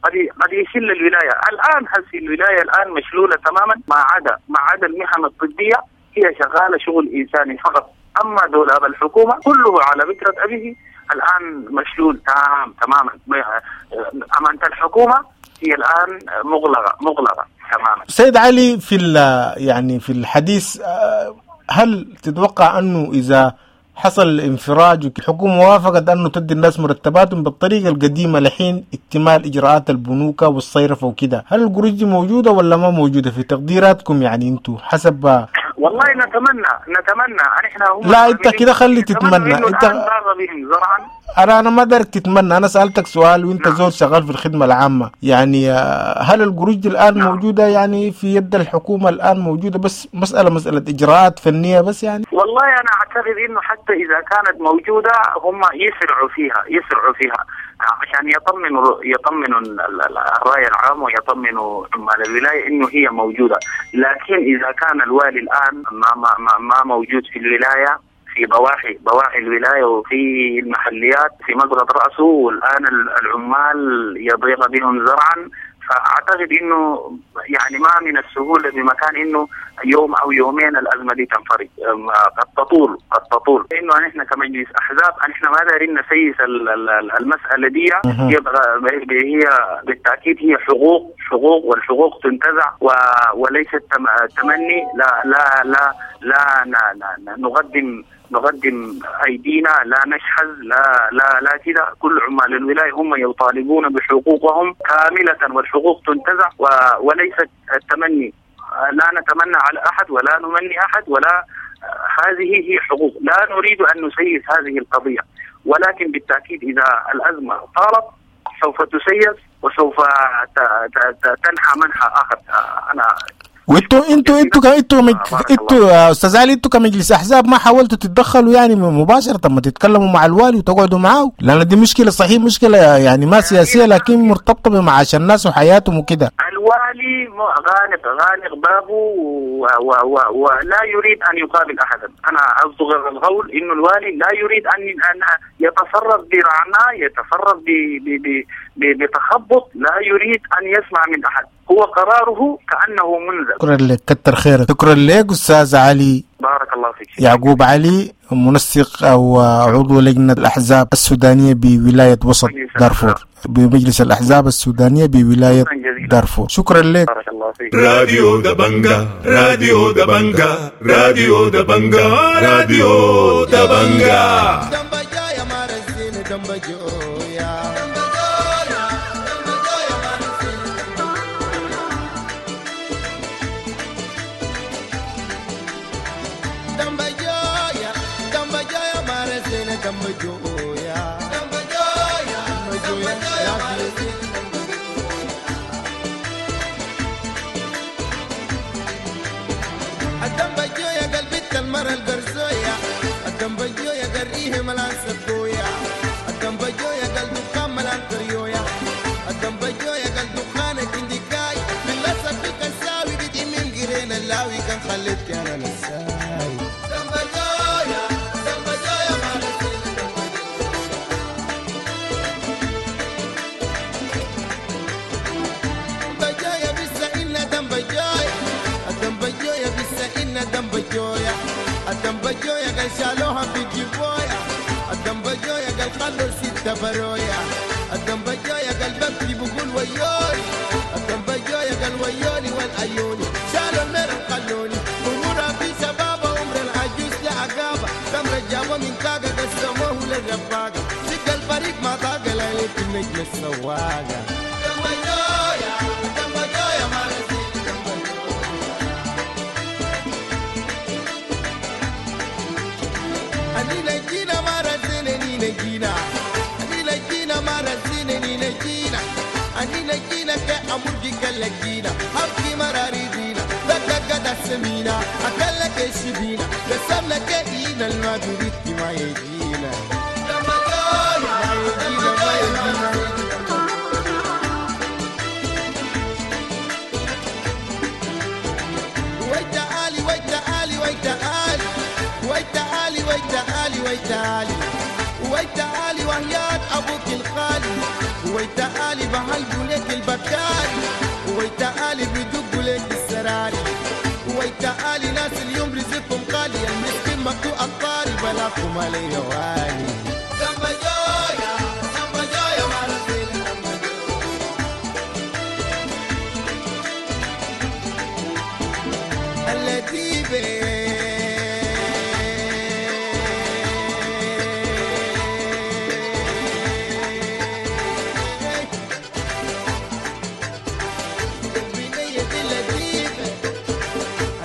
قد قد يشل الولاية. الان هسه الولاية الان مشلوله تماما، ما عدا ما عدا المهن الطبية هي شغالة شغل انساني فقط، اما دولاب الحكومة كله على بكره ابيه الان مشلول تام تماما. امانه الحكومة هي الان مغلقة مغلقة تماما. سيد علي، في يعني في الحديث، هل تتوقع انه اذا حصل انفراج والحكومة وافقت أنه تدي الناس مرتباتهم بالطريقة القديمة لحين اكتمال إجراءات البنوك والصيرفة وكده، هل القروش دي موجودة ولا ما موجودة في تقديراتكم؟ يعني أنتوا حسب والله نتمنى نتمنى نحن هم لا انت كده خلي تتمنى. انت بهم زرعا. انا انا ما دارك تتمنى، انا سالتك سؤال وانت نعم. زول شغال في الخدمه العامه، يعني هل القروش دي الان نعم. موجوده يعني في يد الحكومه الان موجوده، بس مساله مساله اجراءات فنيه بس يعني؟ والله انا اعتقد انه حتى اذا كانت موجوده هم يسرعوا فيها يسرعوا فيها عشان يطمنوا يطمنوا الرأي العام ويطمنوا عمال الولاية إنه هي موجودة. لكن إذا كان الوالي الآن ما ما ما, ما موجود في الولاية، في ضواحي ضواحي الولاية وفي المحليات في مسقط رأسه، والآن العمال يضيق بهم زرعا، فأعتقد إنه يعني ما من السهولة بمكان إنه يوم أو يومين الأزمة دي تنفرج، قد تطول قد تطول. إنه نحن كمجلس أحزاب نحن ما دارين نسيس المسألة دي، هي بالتأكيد هي حقوق حقوق والحقوق تنتزع وليست تمني. لا لا لا لا, لا, لا نقدم نقدم أيدينا، لا نشحذ، لا لا لا كده. كل عمال الولاية هم يطالبون بحقوقهم كاملة والحقوق تنتزع وليست التمني. لا نتمنى على أحد ولا نمني أحد، ولا هذه هي حقوق، لا نريد أن نسيس هذه القضية، ولكن بالتأكيد إذا الأزمة طالت سوف تسيس وسوف تنحى منحى آخر. أنا وانتوا انتوا انتوا انتوا انتوا يا استاذ علي، انتوا كمجلس احزاب ما حاولتوا تتدخلوا يعني مباشره؟ ما تتكلموا مع الوالي وتقعدوا معاه، لان دي مشكله صحيح مشكله يعني ما سياسيه لكن مرتبطه بمعاش الناس وحياتهم وكده. الوالي غالق غالق بابه ولا يريد ان يقابل احدا. انا اصدق القول انه الوالي لا يريد ان ان يتصرف برعناء، يتصرف بتخبط، لا يريد ان يسمع من احد، هو قراره كأنه منزل. شكرا لك، كتر خيرك. شكرا لك أستاذ علي، بارك الله فيك. يعقوب علي، منسق أو عضو لجنة الأحزاب السودانية بولاية وسط دارفور، بمجلس الأحزاب السودانية بولاية دارفور. شكرا لك. بارك الله فيك. راديو دبنجا، راديو دبنجا، راديو دبنجا، راديو دبنجا.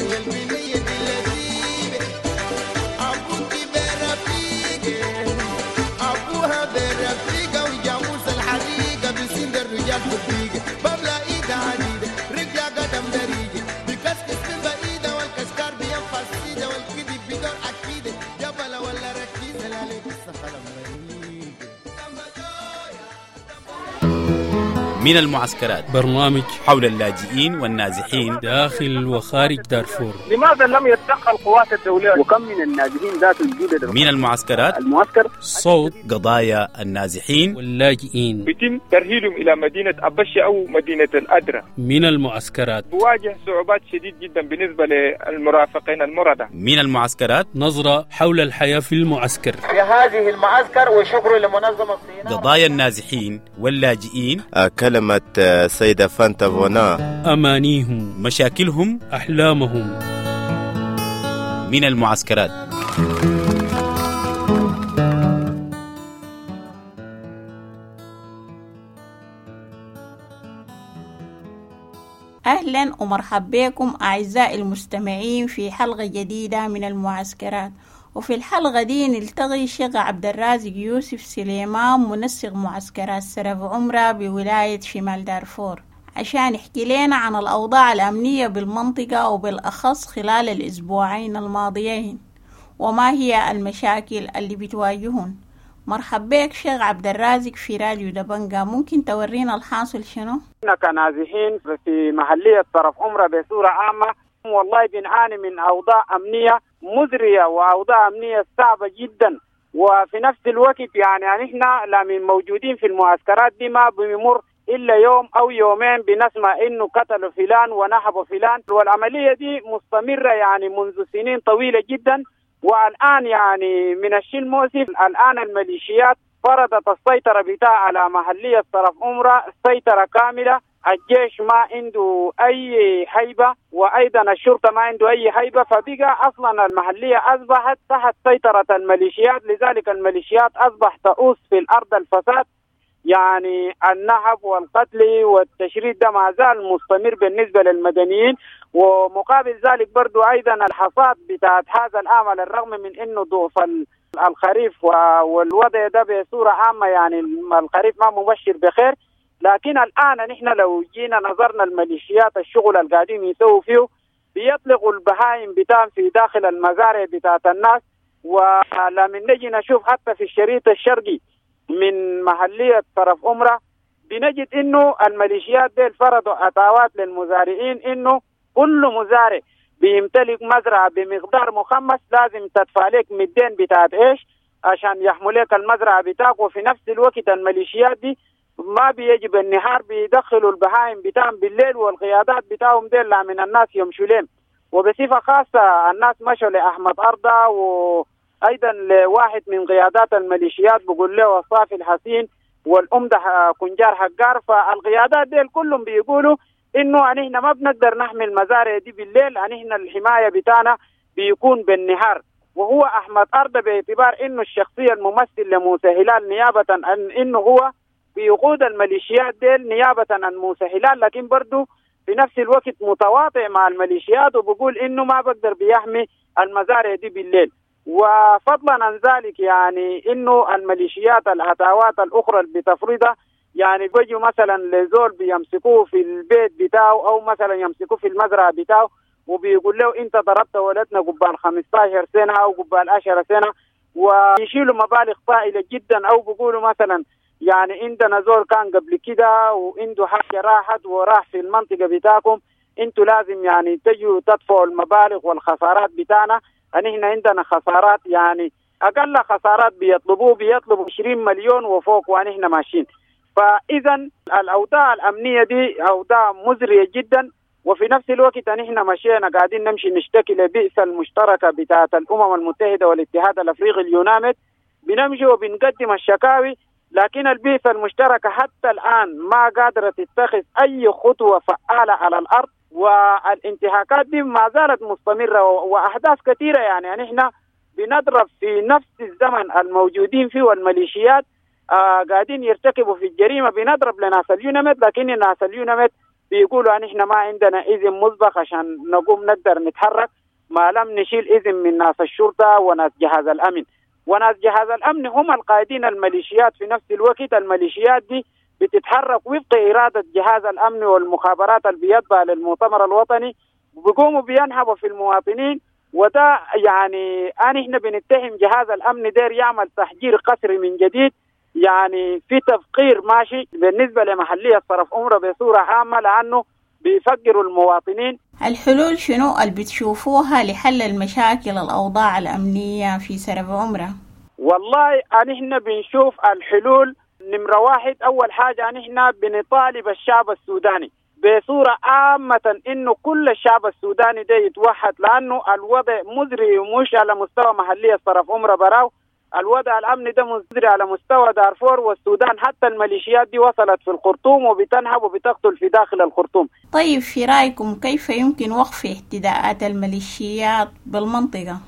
البنية دي لذيذة. من المعسكرات، برنامج حول اللاجئين والنازحين داخل وخارج دارفور. لماذا لم يتدخل القوات الدولية؟ وكم من النازحين ذات الجدد من المعسكرات، المعسكر صوت قضايا النازحين واللاجئين. يتم ترحيلهم إلى مدينة أبشة أو مدينة الأدرة. من المعسكرات بواجه صعوبات شديد جدا بالنسبة للمرافقين المرضى. من المعسكرات، نظرة حول الحياة في المعسكر، في هذه المعسكر، وشكر لمنظمة الصين. قضايا النازحين واللاجئين، كلمة سيدة فانتا فونا، أمانيهم، مشاكلهم، أحلامهم. من المعسكرات. أهلا ومرحبا بكم أعزائي المستمعين في حلقة جديدة من المعسكرات. وفي الحلقة دي نلتقي الشيخ عبد الرازق يوسف سليمان، منسق معسكرات سرف عمرة بولاية شمال دارفور، عشان يحكي لنا عن الأوضاع الأمنية بالمنطقة وبالأخص خلال الأسبوعين الماضيين، وما هي المشاكل اللي بتواجههم. مرحبا بك شيخ عبد الرازق في راديو دبنجا، ممكن تورينا الحاصل شنو؟ احنا كنازحين في محلية طرف عمرة بصورة عامة والله بنعاني من أوضاع أمنية مزرية وأوضاع أمنية صعبة جدا، وفي نفس الوقت يعني نحن لا موجودين في المعسكرات دي ما بيمر إلا يوم أو يومين بنسمع إنه قتلوا فلان ونهبوا فلان، والعملية دي مستمرة يعني منذ سنين طويلة جدا. والآن يعني من الشيء المؤسف الآن الميليشيات فرضت السيطرة بتاع على محلية طرف عمرة سيطرة كاملة. الجيش ما عنده أي هيبة وأيضا الشرطة ما عنده أي هيبة، فبقى أصلا المحلية أصبحت تحت سيطرة الميليشيات. لذلك الميليشيات أصبح تؤوس في الأرض الفساد، يعني النهب والقتل والتشريد ده ما زال مستمر بالنسبة للمدنيين. ومقابل ذلك برضو أيضا الحصاد بتاعت هذا العام على الرغم من أنه ضعف الخريف والوضع ده بصورة عامة يعني الخريف ما مبشر بخير، لكن الآن نحن لو جينا نظرنا الميليشيات الشغل القادم يسووا فيه بيطلقوا البهائم بتاعهم في داخل المزارع بتاعت الناس. ولما نجي نشوف حتى في الشريط الشرقي من محلية طرف عمرة بنجد إنه الميليشيات دي فرضوا أتاوات للمزارعين إنه كل مزارع بيمتلك مزرعة بمقدار مخمس لازم تدفع لك مدين بتاعت إيش عشان يحملك المزرعة بتاعك. وفي نفس الوقت الميليشيات دي ما بيجي بالنهار، بيدخلوا البهائم بتاعهم بالليل، والقيادات بتاعهم دي لا من الناس يمشوا لهم. وبصفة خاصة الناس مشوا لأحمد أرضا وأيضا لواحد من قيادات الميليشيات بقول له الصافي الحسين والأمدة كنجار حقار. فالقيادات دي كلهم بيقولوا إنه نحن ما بنقدر نحمي المزارع دي بالليل، نحن الحماية بتاعنا بيكون بالنهار. وهو أحمد أرضا باعتبار إنه الشخصية الممثل لموسى هلال نيابة عن إنه هو بيقود الميليشيات ديل نيابة عن موسى هلال، لكن برضو في نفس الوقت متواطئ مع الميليشيات وبقول إنه ما بقدر بيحمي المزارع دي بالليل. وفضلا عن ذلك يعني إنه الميليشيات العتاوات الأخرى اللي بتفرضها يعني بيجوا مثلا لزول بيمسكوه في البيت بتاعه أو مثلا يمسكوه في المزرعة بتاعه وبيقول له أنت ضربت ولدنا قبال خمستاشر سنة أو قبال عشرة سنة، ويشيلوا مبالغ طائلة جدا. أو بيقولوا مثلا يعني عندنا زول كان قبل كده وعنده حاجة راحت وراح في المنطقة بتاعكم، انتوا لازم يعني تجوا تدفعوا المبالغ والخسارات بتاعنا. نحن عندنا خسارات يعني أقل خسارات بيطلبوه بيطلبوا عشرين مليون وفوق ونحن ماشيين. فإذا الأوضاع الأمنية دي أوضاع مزرية جدا. وفي نفس الوقت نحن مشينا قاعدين نمشي نشتكي لبئس المشتركة بتاعت الأمم المتحدة والاتحاد الأفريقي اليوناميد، بنمشي وبنقدم الشكاوي، لكن البيئة المشتركة حتى الآن ما قادرة تتخذ أي خطوة فعالة على الأرض، والانتهاكات دي ما زالت مستمرة وأحداث كثيرة. يعني نحن بنضرب في نفس الزمن الموجودين فيه والميليشيات آه قاعدين يرتكبوا في الجريمة، بنضرب لناس اليوناميد، لكن الناس اليوناميد بيقولوا نحن ما عندنا إذن مسبق عشان نقوم نقدر نتحرك ما لم نشيل إذن من ناس الشرطة وناس جهاز الأمن. وناس جهاز الأمن هم القائدين الميليشيات. في نفس الوقت الميليشيات دي بتتحرك وفق إرادة جهاز الأمن والمخابرات اللي بيتبع للمؤتمر الوطني، بيقوموا بينهبوا في المواطنين. وده يعني أنا إحنا بنتهم جهاز الأمن دير يعمل تحجير قسري من جديد يعني في تفقير ماشي بالنسبة لمحلية صرف عمرة بصورة عامة، لأنه بيفقروا المواطنين. الحلول شنو اللي بتشوفوها لحل المشاكل الأوضاع الأمنية في سرف عمرة؟ والله نحن بنشوف الحلول نمرة واحد، أول حاجة نحن بنطالب الشعب السوداني بصورة عامة إنه كل الشعب السوداني ده يتوحد، لأنه الوضع مزري مش على مستوى محلية صرف عمرة براو، الوضع الأمني ده مزري على مستوى دارفور والسودان، حتى الميليشيات دي وصلت في الخرطوم وبتنهب وبتقتل في داخل الخرطوم. طيب في رأيكم كيف يمكن وقف اعتداءات الميليشيات بالمنطقة؟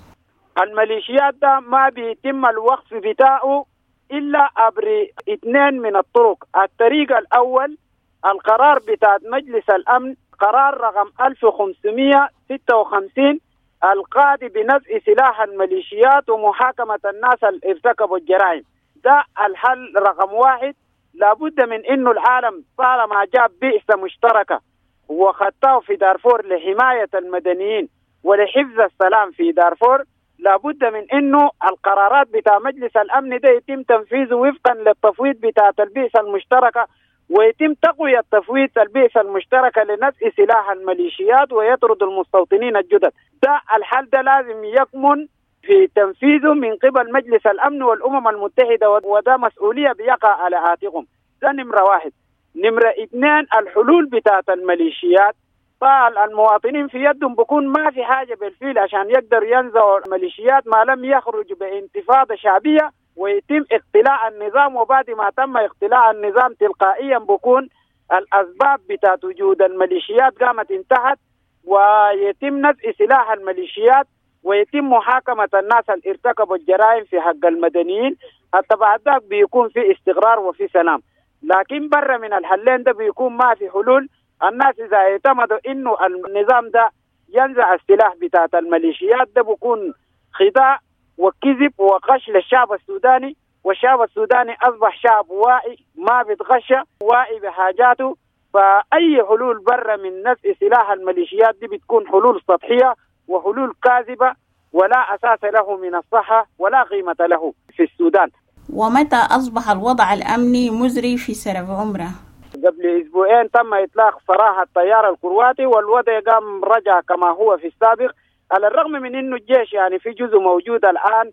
الميليشيات ده ما بيتم الوقف بتاعه إلا عبر اثنين من الطرق. الطريق الأول القرار بتاع مجلس الأمن، قرار رقم ألف وخمسمية وستة وخمسين القاضي بنزع سلاح الميليشيات ومحاكمة الناس اللي ارتكبوا الجرائم. ده الحل رقم واحد. لابد من إنه العالم طالما جاب بعثة مشتركة وخطاه في دارفور لحماية المدنيين ولحفظ السلام في دارفور، لابد من إنه القرارات بتاع مجلس الأمن ده يتم تنفيذه وفقا للتفويض بتاع البعثة المشتركة، ويتم تقوية تفويض البعثة المشتركة لنزع سلاح الميليشيات ويطرد المستوطنين الجدد. ده الحل ده لازم يكمن في تنفيذه من قبل مجلس الأمن والأمم المتحدة، وده مسؤولية بيقع على عاتقهم. ده نمرة واحد. نمرة اثنين الحلول بتاعت الميليشيات، فالمواطنين في يدهم بكون ما في حاجة بالفعل عشان يقدر ينزعوا الميليشيات ما لم يخرج بانتفاضة شعبية ويتم اقتلاع النظام. وبعد ما تم اقتلاع النظام تلقائيا بكون الأسباب بتاعت وجود الميليشيات قامت انتهت، ويتم نزع سلاح الميليشيات ويتم محاكمة الناس اللي ارتكبوا الجرائم في حق المدنيين. حتى بعد ذاك بيكون في استقرار وفي سلام. لكن برا من الحلين ده بيكون ما في حلول. الناس إذا اعتمدوا إنه النظام ده ينزع السلاح بتاعت الميليشيات ده بيكون خداع وكذب وغش للشعب السوداني، والشعب السوداني أصبح شعب واعي ما بيتغشى، واعي بحاجاته. فأي حلول برا من نزع سلاح الميليشيات دي بتكون حلول سطحية وحلول كاذبة ولا أساس له من الصحة ولا قيمة له في السودان. ومتى أصبح الوضع الأمني مزري في سرف عمرة؟ قبل أسبوعين تم إطلاق سراح الطيار الكرواتي، والوضع قام رجع كما هو في السابق، على الرغم من إنه الجيش يعني في جزء موجود الآن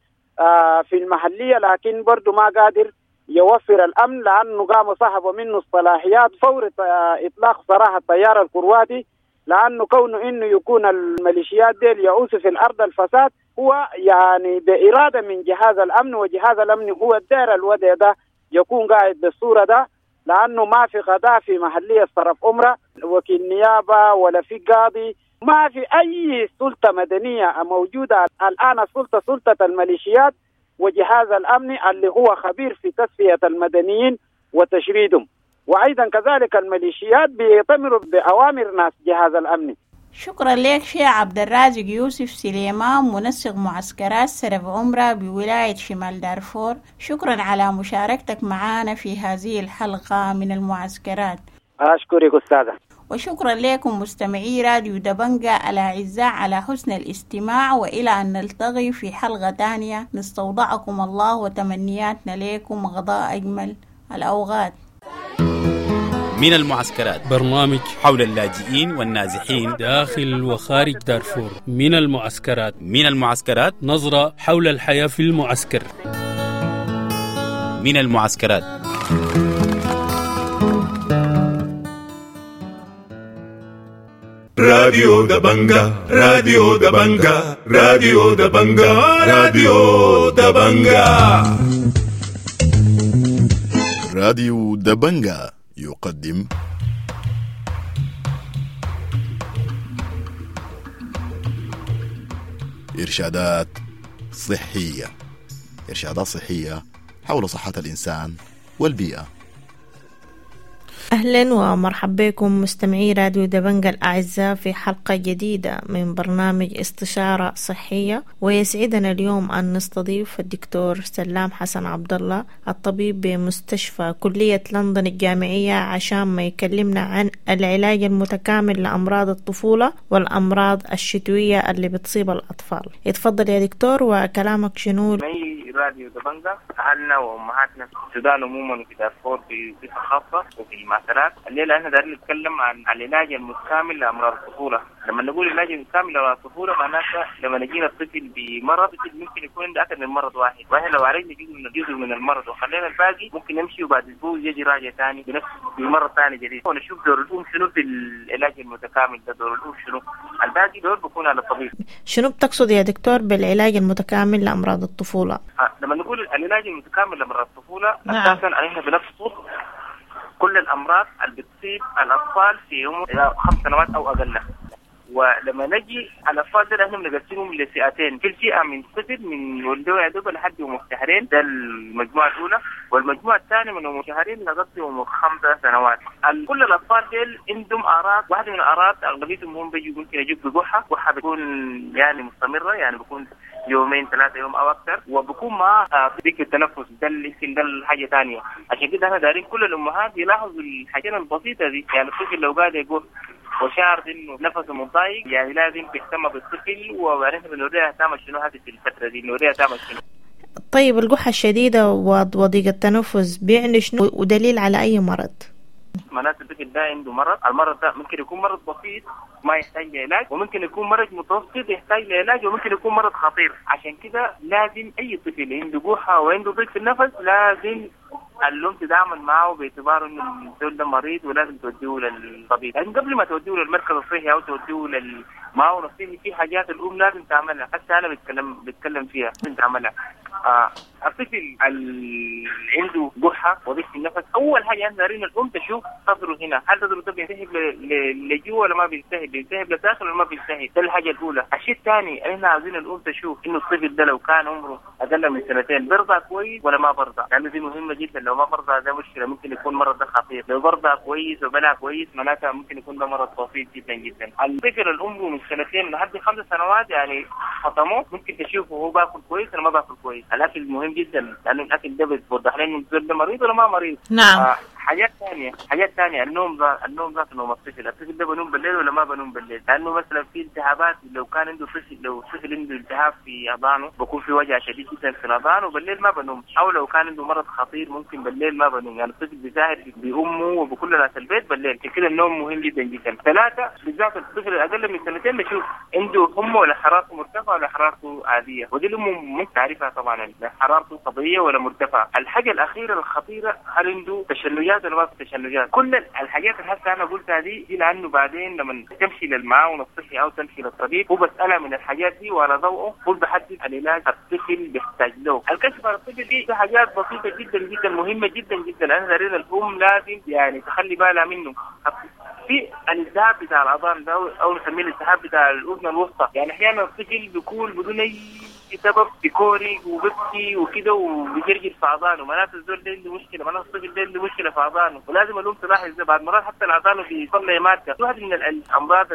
في المحلية، لكن برضو ما قادر يوفر الأمن لأنه قاموا سحبوا منه الصلاحيات فور إطلاق سراح الطيار الكرواتي، لأنه كونه إنه يكون الميليشيات ديل يعوس في الأرض الفساد هو يعني بإرادة من جهاز الأمن، وجهاز الأمن هو الدائرة الوضع ده يكون قاعد بالصورة ده، لأنه ما في قضاء في محلية صرف أمرة، وكيل نيابة ولا في قاضي، ما في أي سلطة مدنية موجودة الآن. السلطة سلطة الميليشيات وجهاز الأمن اللي هو خبير في تصفية المدنيين وتشريدهم، وأيضا كذلك الميليشيات بيطمروا بأوامر ناس جهاز الأمن. شكرا لك شيخ عبد الرازق يوسف سليمان، منسق معسكرات سرف عمرة بولاية شمال دارفور. شكرا على مشاركتك معنا في هذه الحلقة من المعسكرات. أشكرك أستاذة. وشكرا لكم مستمعي راديو دبنجة الأعزاء على حسن الاستماع، وإلى أن نلتقي في حلقة تانية نستودعكم الله وتمنياتنا لكم غضاء أجمل الأوقات. من المعسكرات، برنامج حول اللاجئين والنازحين داخل وخارج دارفور. من المعسكرات، من المعسكرات، نظرة حول الحياة في المعسكر. من المعسكرات. راديو دبنجة، راديو دبنجة، راديو دبنجة، راديو دبنجة. راديو دبنجة يقدم إرشادات صحية، إرشادات صحية حول صحة الإنسان والبيئة. أهلا ومرحبا بكم مستمعي راديو دبنجة الأعزاء في حلقة جديدة من برنامج استشارة صحية، ويسعدنا اليوم أن نستضيف الدكتور سلام حسن عبد الله الطبيب بمستشفى كلية لندن الجامعية عشان ما يكلمنا عن العلاج المتكامل لأمراض الطفولة والأمراض الشتوية اللي بتصيب الأطفال. اتفضل يا دكتور، وكلامك شنو؟ راديو دبنجا، أهلنا وأمهاتنا في السودان عموما وفي دارفور بصفة خاصة وفي المعسكرات. الليلة احنا دايرين نتكلم عن العلاج المتكامل لأمراض الطفولة. لما نقول العلاج المتكامل لأمراض الطفولة معناتها لما نجينا الطفل بمرض، الطفل ممكن يكون عنده أكثر من مرض واحد، واحنا لو عالجنا جزء من جزء من المرض وخلينا الباقي ممكن يمشي وبعد أسبوع يجي راجع ثاني بنفس بمرض ثاني جديد. ونشوف دور الأم شنو في العلاج المتكامل ده، دور الأم شنو، الباقي دور بيكون على الطبيب. شنو بتقصد يا دكتور بالعلاج المتكامل لأمراض الطفولة؟ آه، لما نقول العلاج المتكامل لأمراض الطفولة نعم. أساسا احنا بنقصد كل الأمراض اللي بتصيب الأطفال في عمر خمس سنوات أو أقل. ولما نجي على الأطفال ده احنا بنقسمهم لفئتين، في فئة من طفل من ولدوا يا دوب لحد عمر شهرين، ده المجموعة الأولى، والمجموعة الثانية من عمر شهرين لغاية عمر خمسة سنوات. كل الأطفال ديل عندهم أعراض، واحدة من الأعراض أغلبيتهم هم بيجوا ممكن يجوا بقحة، قحة بتكون يعني مستمرة، يعني بيكون يومين ثلاثة يوم أو أكثر، وبكون معاه ضيق التنفس، ده يمكن ده الحاجة ثانية. عشان كده احنا دايرين كل الأمهات يلاحظوا الحاجات البسيطة دي، يعني الطفل لو قاعد يقول وشعر انه نفسه متضايق يعني لازم تهتم بالطفل، وبعدين بنوريها تعمل شنو هذه في الفترة دي، نوريها تعمل شنو. طيب القحة الشديدة وضيق التنفس بيعني شنو ودليل على أي مرض؟ معناته الطفل ده عنده مرض، المرض ده ممكن يكون مرض بسيط ما يحتاج لعلاج، وممكن يكون مرض متوسط يحتاج لعلاج، وممكن يكون مرض خطير. عشان كده لازم أي طفل عنده قحة وعنده ضيق في النفس لازم الأم تتعامل معه باعتباره إنه الزول ده مريض ولازم توديه للطبيب. لكن قبل ما توديه للمركز الصحي أو توديه للمعاون الصحي في حاجات الأم لازم تعملها، حتى أنا بتكلم بتكلم فيها لازم تعملها. آه الطفل اللي عنده قحة وضيق في النفس، أول حاجة احنا دايرين الأم تشوف صدره هنا، هل صدره ده بيلتهب لجوا ولا ما بيلتهب، بيلتهب لداخل ولا ما بيلتهب، ده الحاجة الأولى. الشيء الثاني احنا عاوزين الأم تشوف إنه الطفل ده لو كان عمره أقل من سنتين برضع كويس ولا ما برضع، لأنه دي مهمة جدا. لو ما برضع ده مشكلة، ممكن يكون مرض ده خطير. لو برضع كويس وبلع كويس معناتها ممكن يكون ده مرض بسيط جدا جدا. الطفل اللي عمره من سنتين لحد خمس سنوات يعني فطموه ممكن تشوفه هو باكل كويس ولا ما باكل كويس. الاكل مهم جدا لانه الاكل ده بيوضح لنا انه الزول ده مريض ولا ما مريض. نعم. آه حاجات ثانية، حاجات ثانية النوم ذات النوم ذات نوم الطفل، الطفل ده بنوم بالليل ولا ما بنوم بالليل؟ لانه مثلا في التهابات، لو كان عنده طفل لو طفل عنده التهاب في اذانه بكون في وجع شديد جدا في الاذان وبالليل ما بنوم، او لو كان عنده مرض خطير ممكن بالليل ما بنوم، يعني الطفل بيساهر بامه وبكل ناس البيت بالليل. كده النوم مهم جدا جدا. ثلاثة بالذات الطفل الاقل من سنتين نشوف عنده حمى ولا حرارته مرتفعة ولا حرارته عادية، ودي الام ممكن تعرفها طبعا حرارته طبيعية ولا مرتفعة. الحاجة الاخيرة الخطيرة هل عنده تشنجات ولا ما في تشنجات؟ كل الحاجات اللي هسه انا قلتها دي دي لانه بعدين لما تمشي للمعاون الصحي او تمشي للطبيب هو بسالها من الحاجات دي وعلى ضوءه هو بحدد العلاج الطفل بيحتاج له. الكشف على الطفل دي حاجات بسيطة جدا جدا مهمة جدا جدا، انا دارين الام لازم يعني تخلي بالها منه. في الالتهاب بتاع الاذان ده او نسميه الالتهاب بتاع الاذن الوسطى، يعني احيانا الطفل بيكون بدون اي سبب بيكوري وبيبكي وكده وبيجرجر في اذانه، معناته الزول ده عنده مشكلة، معناته الطفل ده عنده مشكلة في اذانه، ولازم الام تلاحظ ده. بعد مرات حتى الاذان بيطلع مادة، واحد من الامراض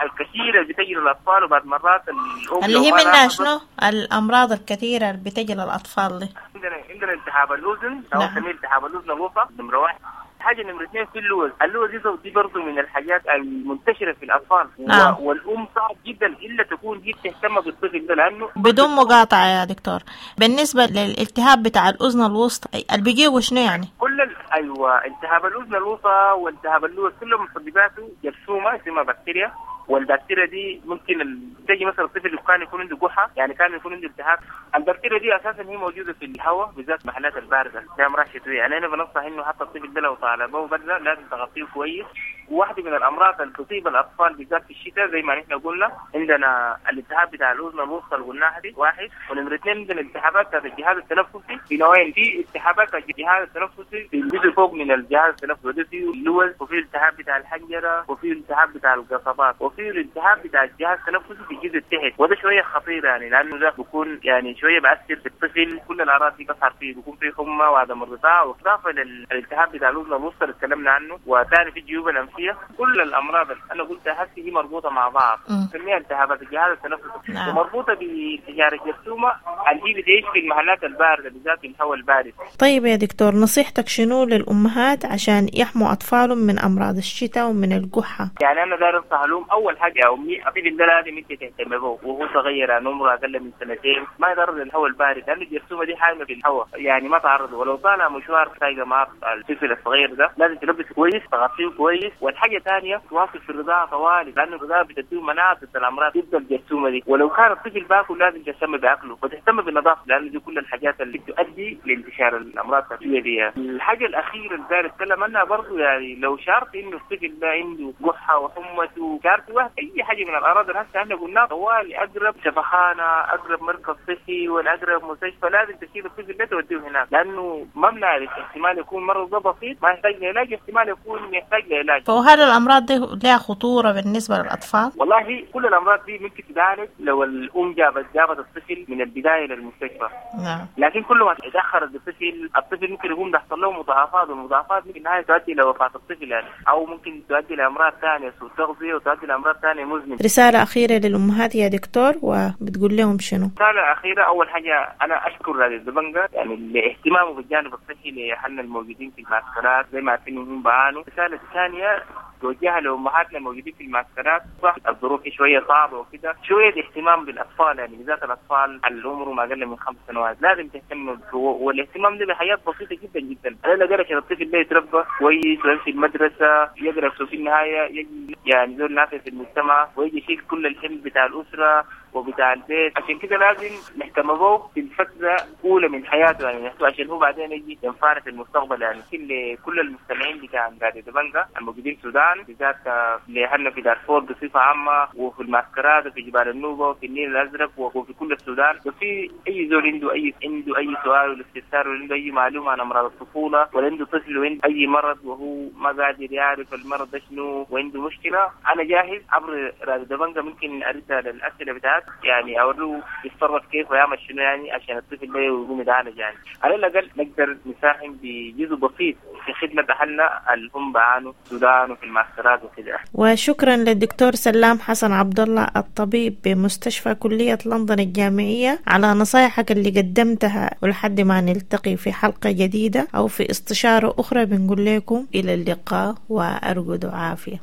الكثيرة اللي بتجي للاطفال، وبعد مرات الام اللي هي منها شنو؟ الامراض الكثيرة اللي بتجي للاطفال دي. عندنا عندنا التهاب الاذن او نسميه التهاب الاذن الوسطى نمره واحد. حاجة نمره اثنين في اللوز، اللوز دي برضه من الحاجات المنتشرة في الاطفال. نعم. والام صعب جدا الا تكون هي بتهتم بالطفل ده لانه بدون مقاطعه يا دكتور. بالنسبة للالتهاب بتاع الاذن الوسطى اللي بيجيبه شنو يعني؟ كل ال... ايوه التهاب الاذن الوسطى والتهاب اللوز كلهم مسبباته جرثومة اسمها بكتيريا، والبكتيريا دي ممكن تجي مثلا الطفل اللي كان يكون عنده قحه، يعني كان يكون عنده التهاب. البكتيريا دي اساسا هي موجودة في الهواء بالذات محلات البارده زي امراض شتوية، يعني انا بنصح انه حتى الطفل ده لو طالبه برده لازم تغطيه كويس. وواحدة من الامراض اللي تصيب الاطفال بالذات في الشتاء زي ما نحن قلنا عندنا الالتهاب بتاع الاذن الوسطى اللي قلناها دي واحد، ونمره اثنين عندنا الالتهابات بتاعت الجهاز التنفسي في نوعين، في التهابات بتاعت الجهاز التنفسي في الجزء فوق من الجهاز التنفسي وده فيه اللوز، وفي التهاب بتاع الحنجرة، وفي التهاب بتاع القصبات، وفي الالتهاب بتاع الجهاز التنفسي في الجزء التحت، وده شوية خطير يعني لانه ده بيكون يعني شوية بأثر في الطفل، كل الاعراض دي بتظهر فيه، بيكون فيه حمى وعدم الرضاعة، واضافه للالتهاب بتاع الاذن الوسطى اللي اتكلمنا عنه، وثاني في الجيوب الانفيه. كل الامراض اللي انا قلتها هسه هي مربوطة مع بعض، نسميها التهابات الجهاز التنفسي. نعم. ومربوطه بانتشار الجرثومه اللي هي بتعيش في المحلات البارده، بالذات في الهواء البارد. طيب يا دكتور، نصيحتك شنو للأمهات عشان يحموا أطفالهم من أمراض الشتاء ومن القحة؟ يعني انا داير انصح لهم، اول حاجة يا امي الطفل ده لازم انت تهتم به وهو صغير، يعني عمره اقل من سنتين، ما يتعرض للهواء البارد لانه الجرثومه دي حامية في الهواء، يعني ما تعرض. ولو طالع مشوار سايقه مع الطفل الصغير ده لازم تلبسه كويس، تغطيه كويس. والحاجة الثانية تواصل في الرضاعة طوالي، لانه الرضاعة بتديه مناعة ضد الامراض ضد الجرثومه دي. ولو كان الطفل باكل لازم تهتم باكله وتهتم بالنظافة، لانه دي كل الحاجات اللي بتؤدي لانتشار الامراض التنفسية دي. الحاجة الاخيرة اللي داير اتكلم عنها برضه، يعني لو شعرت انه الطفل ده عنده قحه وحمته، شعرت واحد اي حاجة من الاعراض اللي هسه احنا قلناها، طوالي اقرب شفخانه، اقرب مركز صحي، ولا اقرب مستشفى، لازم تشيل الطفل ده توديه هناك، لانه ما بنعرف احتمال يكون مرض ده بسيط ما يحتاج لعلاج، احتمال يكون يحتاج لعلاج. فهل الأمراض دي لها خطورة بالنسبة للأطفال؟ والله كل الامراض دي ممكن تتعالج لو الام جابت جابت الطفل من البداية للمستشفى. نعم. لكن كل ما تاخر الطفل، الطفل ممكن يكون تحصل له مضاعفات، والمضاعفات ممكن النهاية تؤدي لوفاه الطفل يعني، او ممكن تؤدي لامراض ثانية، سوء تغذية، وتؤدي لامراض ثانية مزمنة. رسالة أخيرة للأمهات يا دكتور، وبتقول لهم شنو؟ رسالة اخيرة، اول حاجة انا اشكر راديو دبنجا يعني لاهتمامه بالجانب الصحي لاهلنا الموجودين في المعسكرات، زي ما عارفين انهم بعانوا. الرسالة الثانية توجهها لامهاتنا الموجودين في المعسكرات، صح الظروف شوية صعبة وكده، شوية اهتمام بالاطفال، يعني بالذات الاطفال اللي عمرهم اقل من خمس سنوات لازم تهتم، والاهتمام ده بحاجات بسيطة جدا جدا. على الاقل عشان الطفل ده يتربى كويس ويمشي المدرسة، يقرا في النهاية يجي يعني زول نافع في المجتمع، ويجي يشيل كل الحمل بتاع الاسرة وبتاع البيت. عشان كده لازم نهتم به في الفترة الاولى من حياته، يعني عشان هو بعدين يجي ينفعنا في المستقبل. يعني كل كل المستمعين بتاع راديو دبنجا الموجودين في السودان، بالذات لاهلنا في دارفور بصفة عامة، وفي المعسكرات وفي جبال النوبة وفي النيل الازرق وفي كل السودان، وفي اي زول عنده اي عنده اي سؤال ولا استفسار، ولا عنده اي معلومة عن امراض الطفولة، ولا عنده طفل وعنده اي مرض وهو ما قادر يعرف المرض ده شنو وعنده مشكلة، انا جاهز عبر راديو دبنجا ممكن ارد على الاسئلة بتاعت، يعني اوريه يتصرف كيف ويعمل شنو يعني عشان الطفل ده يقوم يتعالج. يعني على الاقل نقدر نساهم بجزء بسيط في خدمة اهلنا اللي هم بعانوا في السودان وفي المعسكرات وكده. وشكرا للدكتور سلام حسن عبد الله الطبيب بمستشفى كلية لندن الجامعية على نصايحك اللي قدمتها، ولحد ما نلتقي في حلقة جديدة أو في استشارة أخرى بنقول لكم إلى اللقاء وأرجو عافية.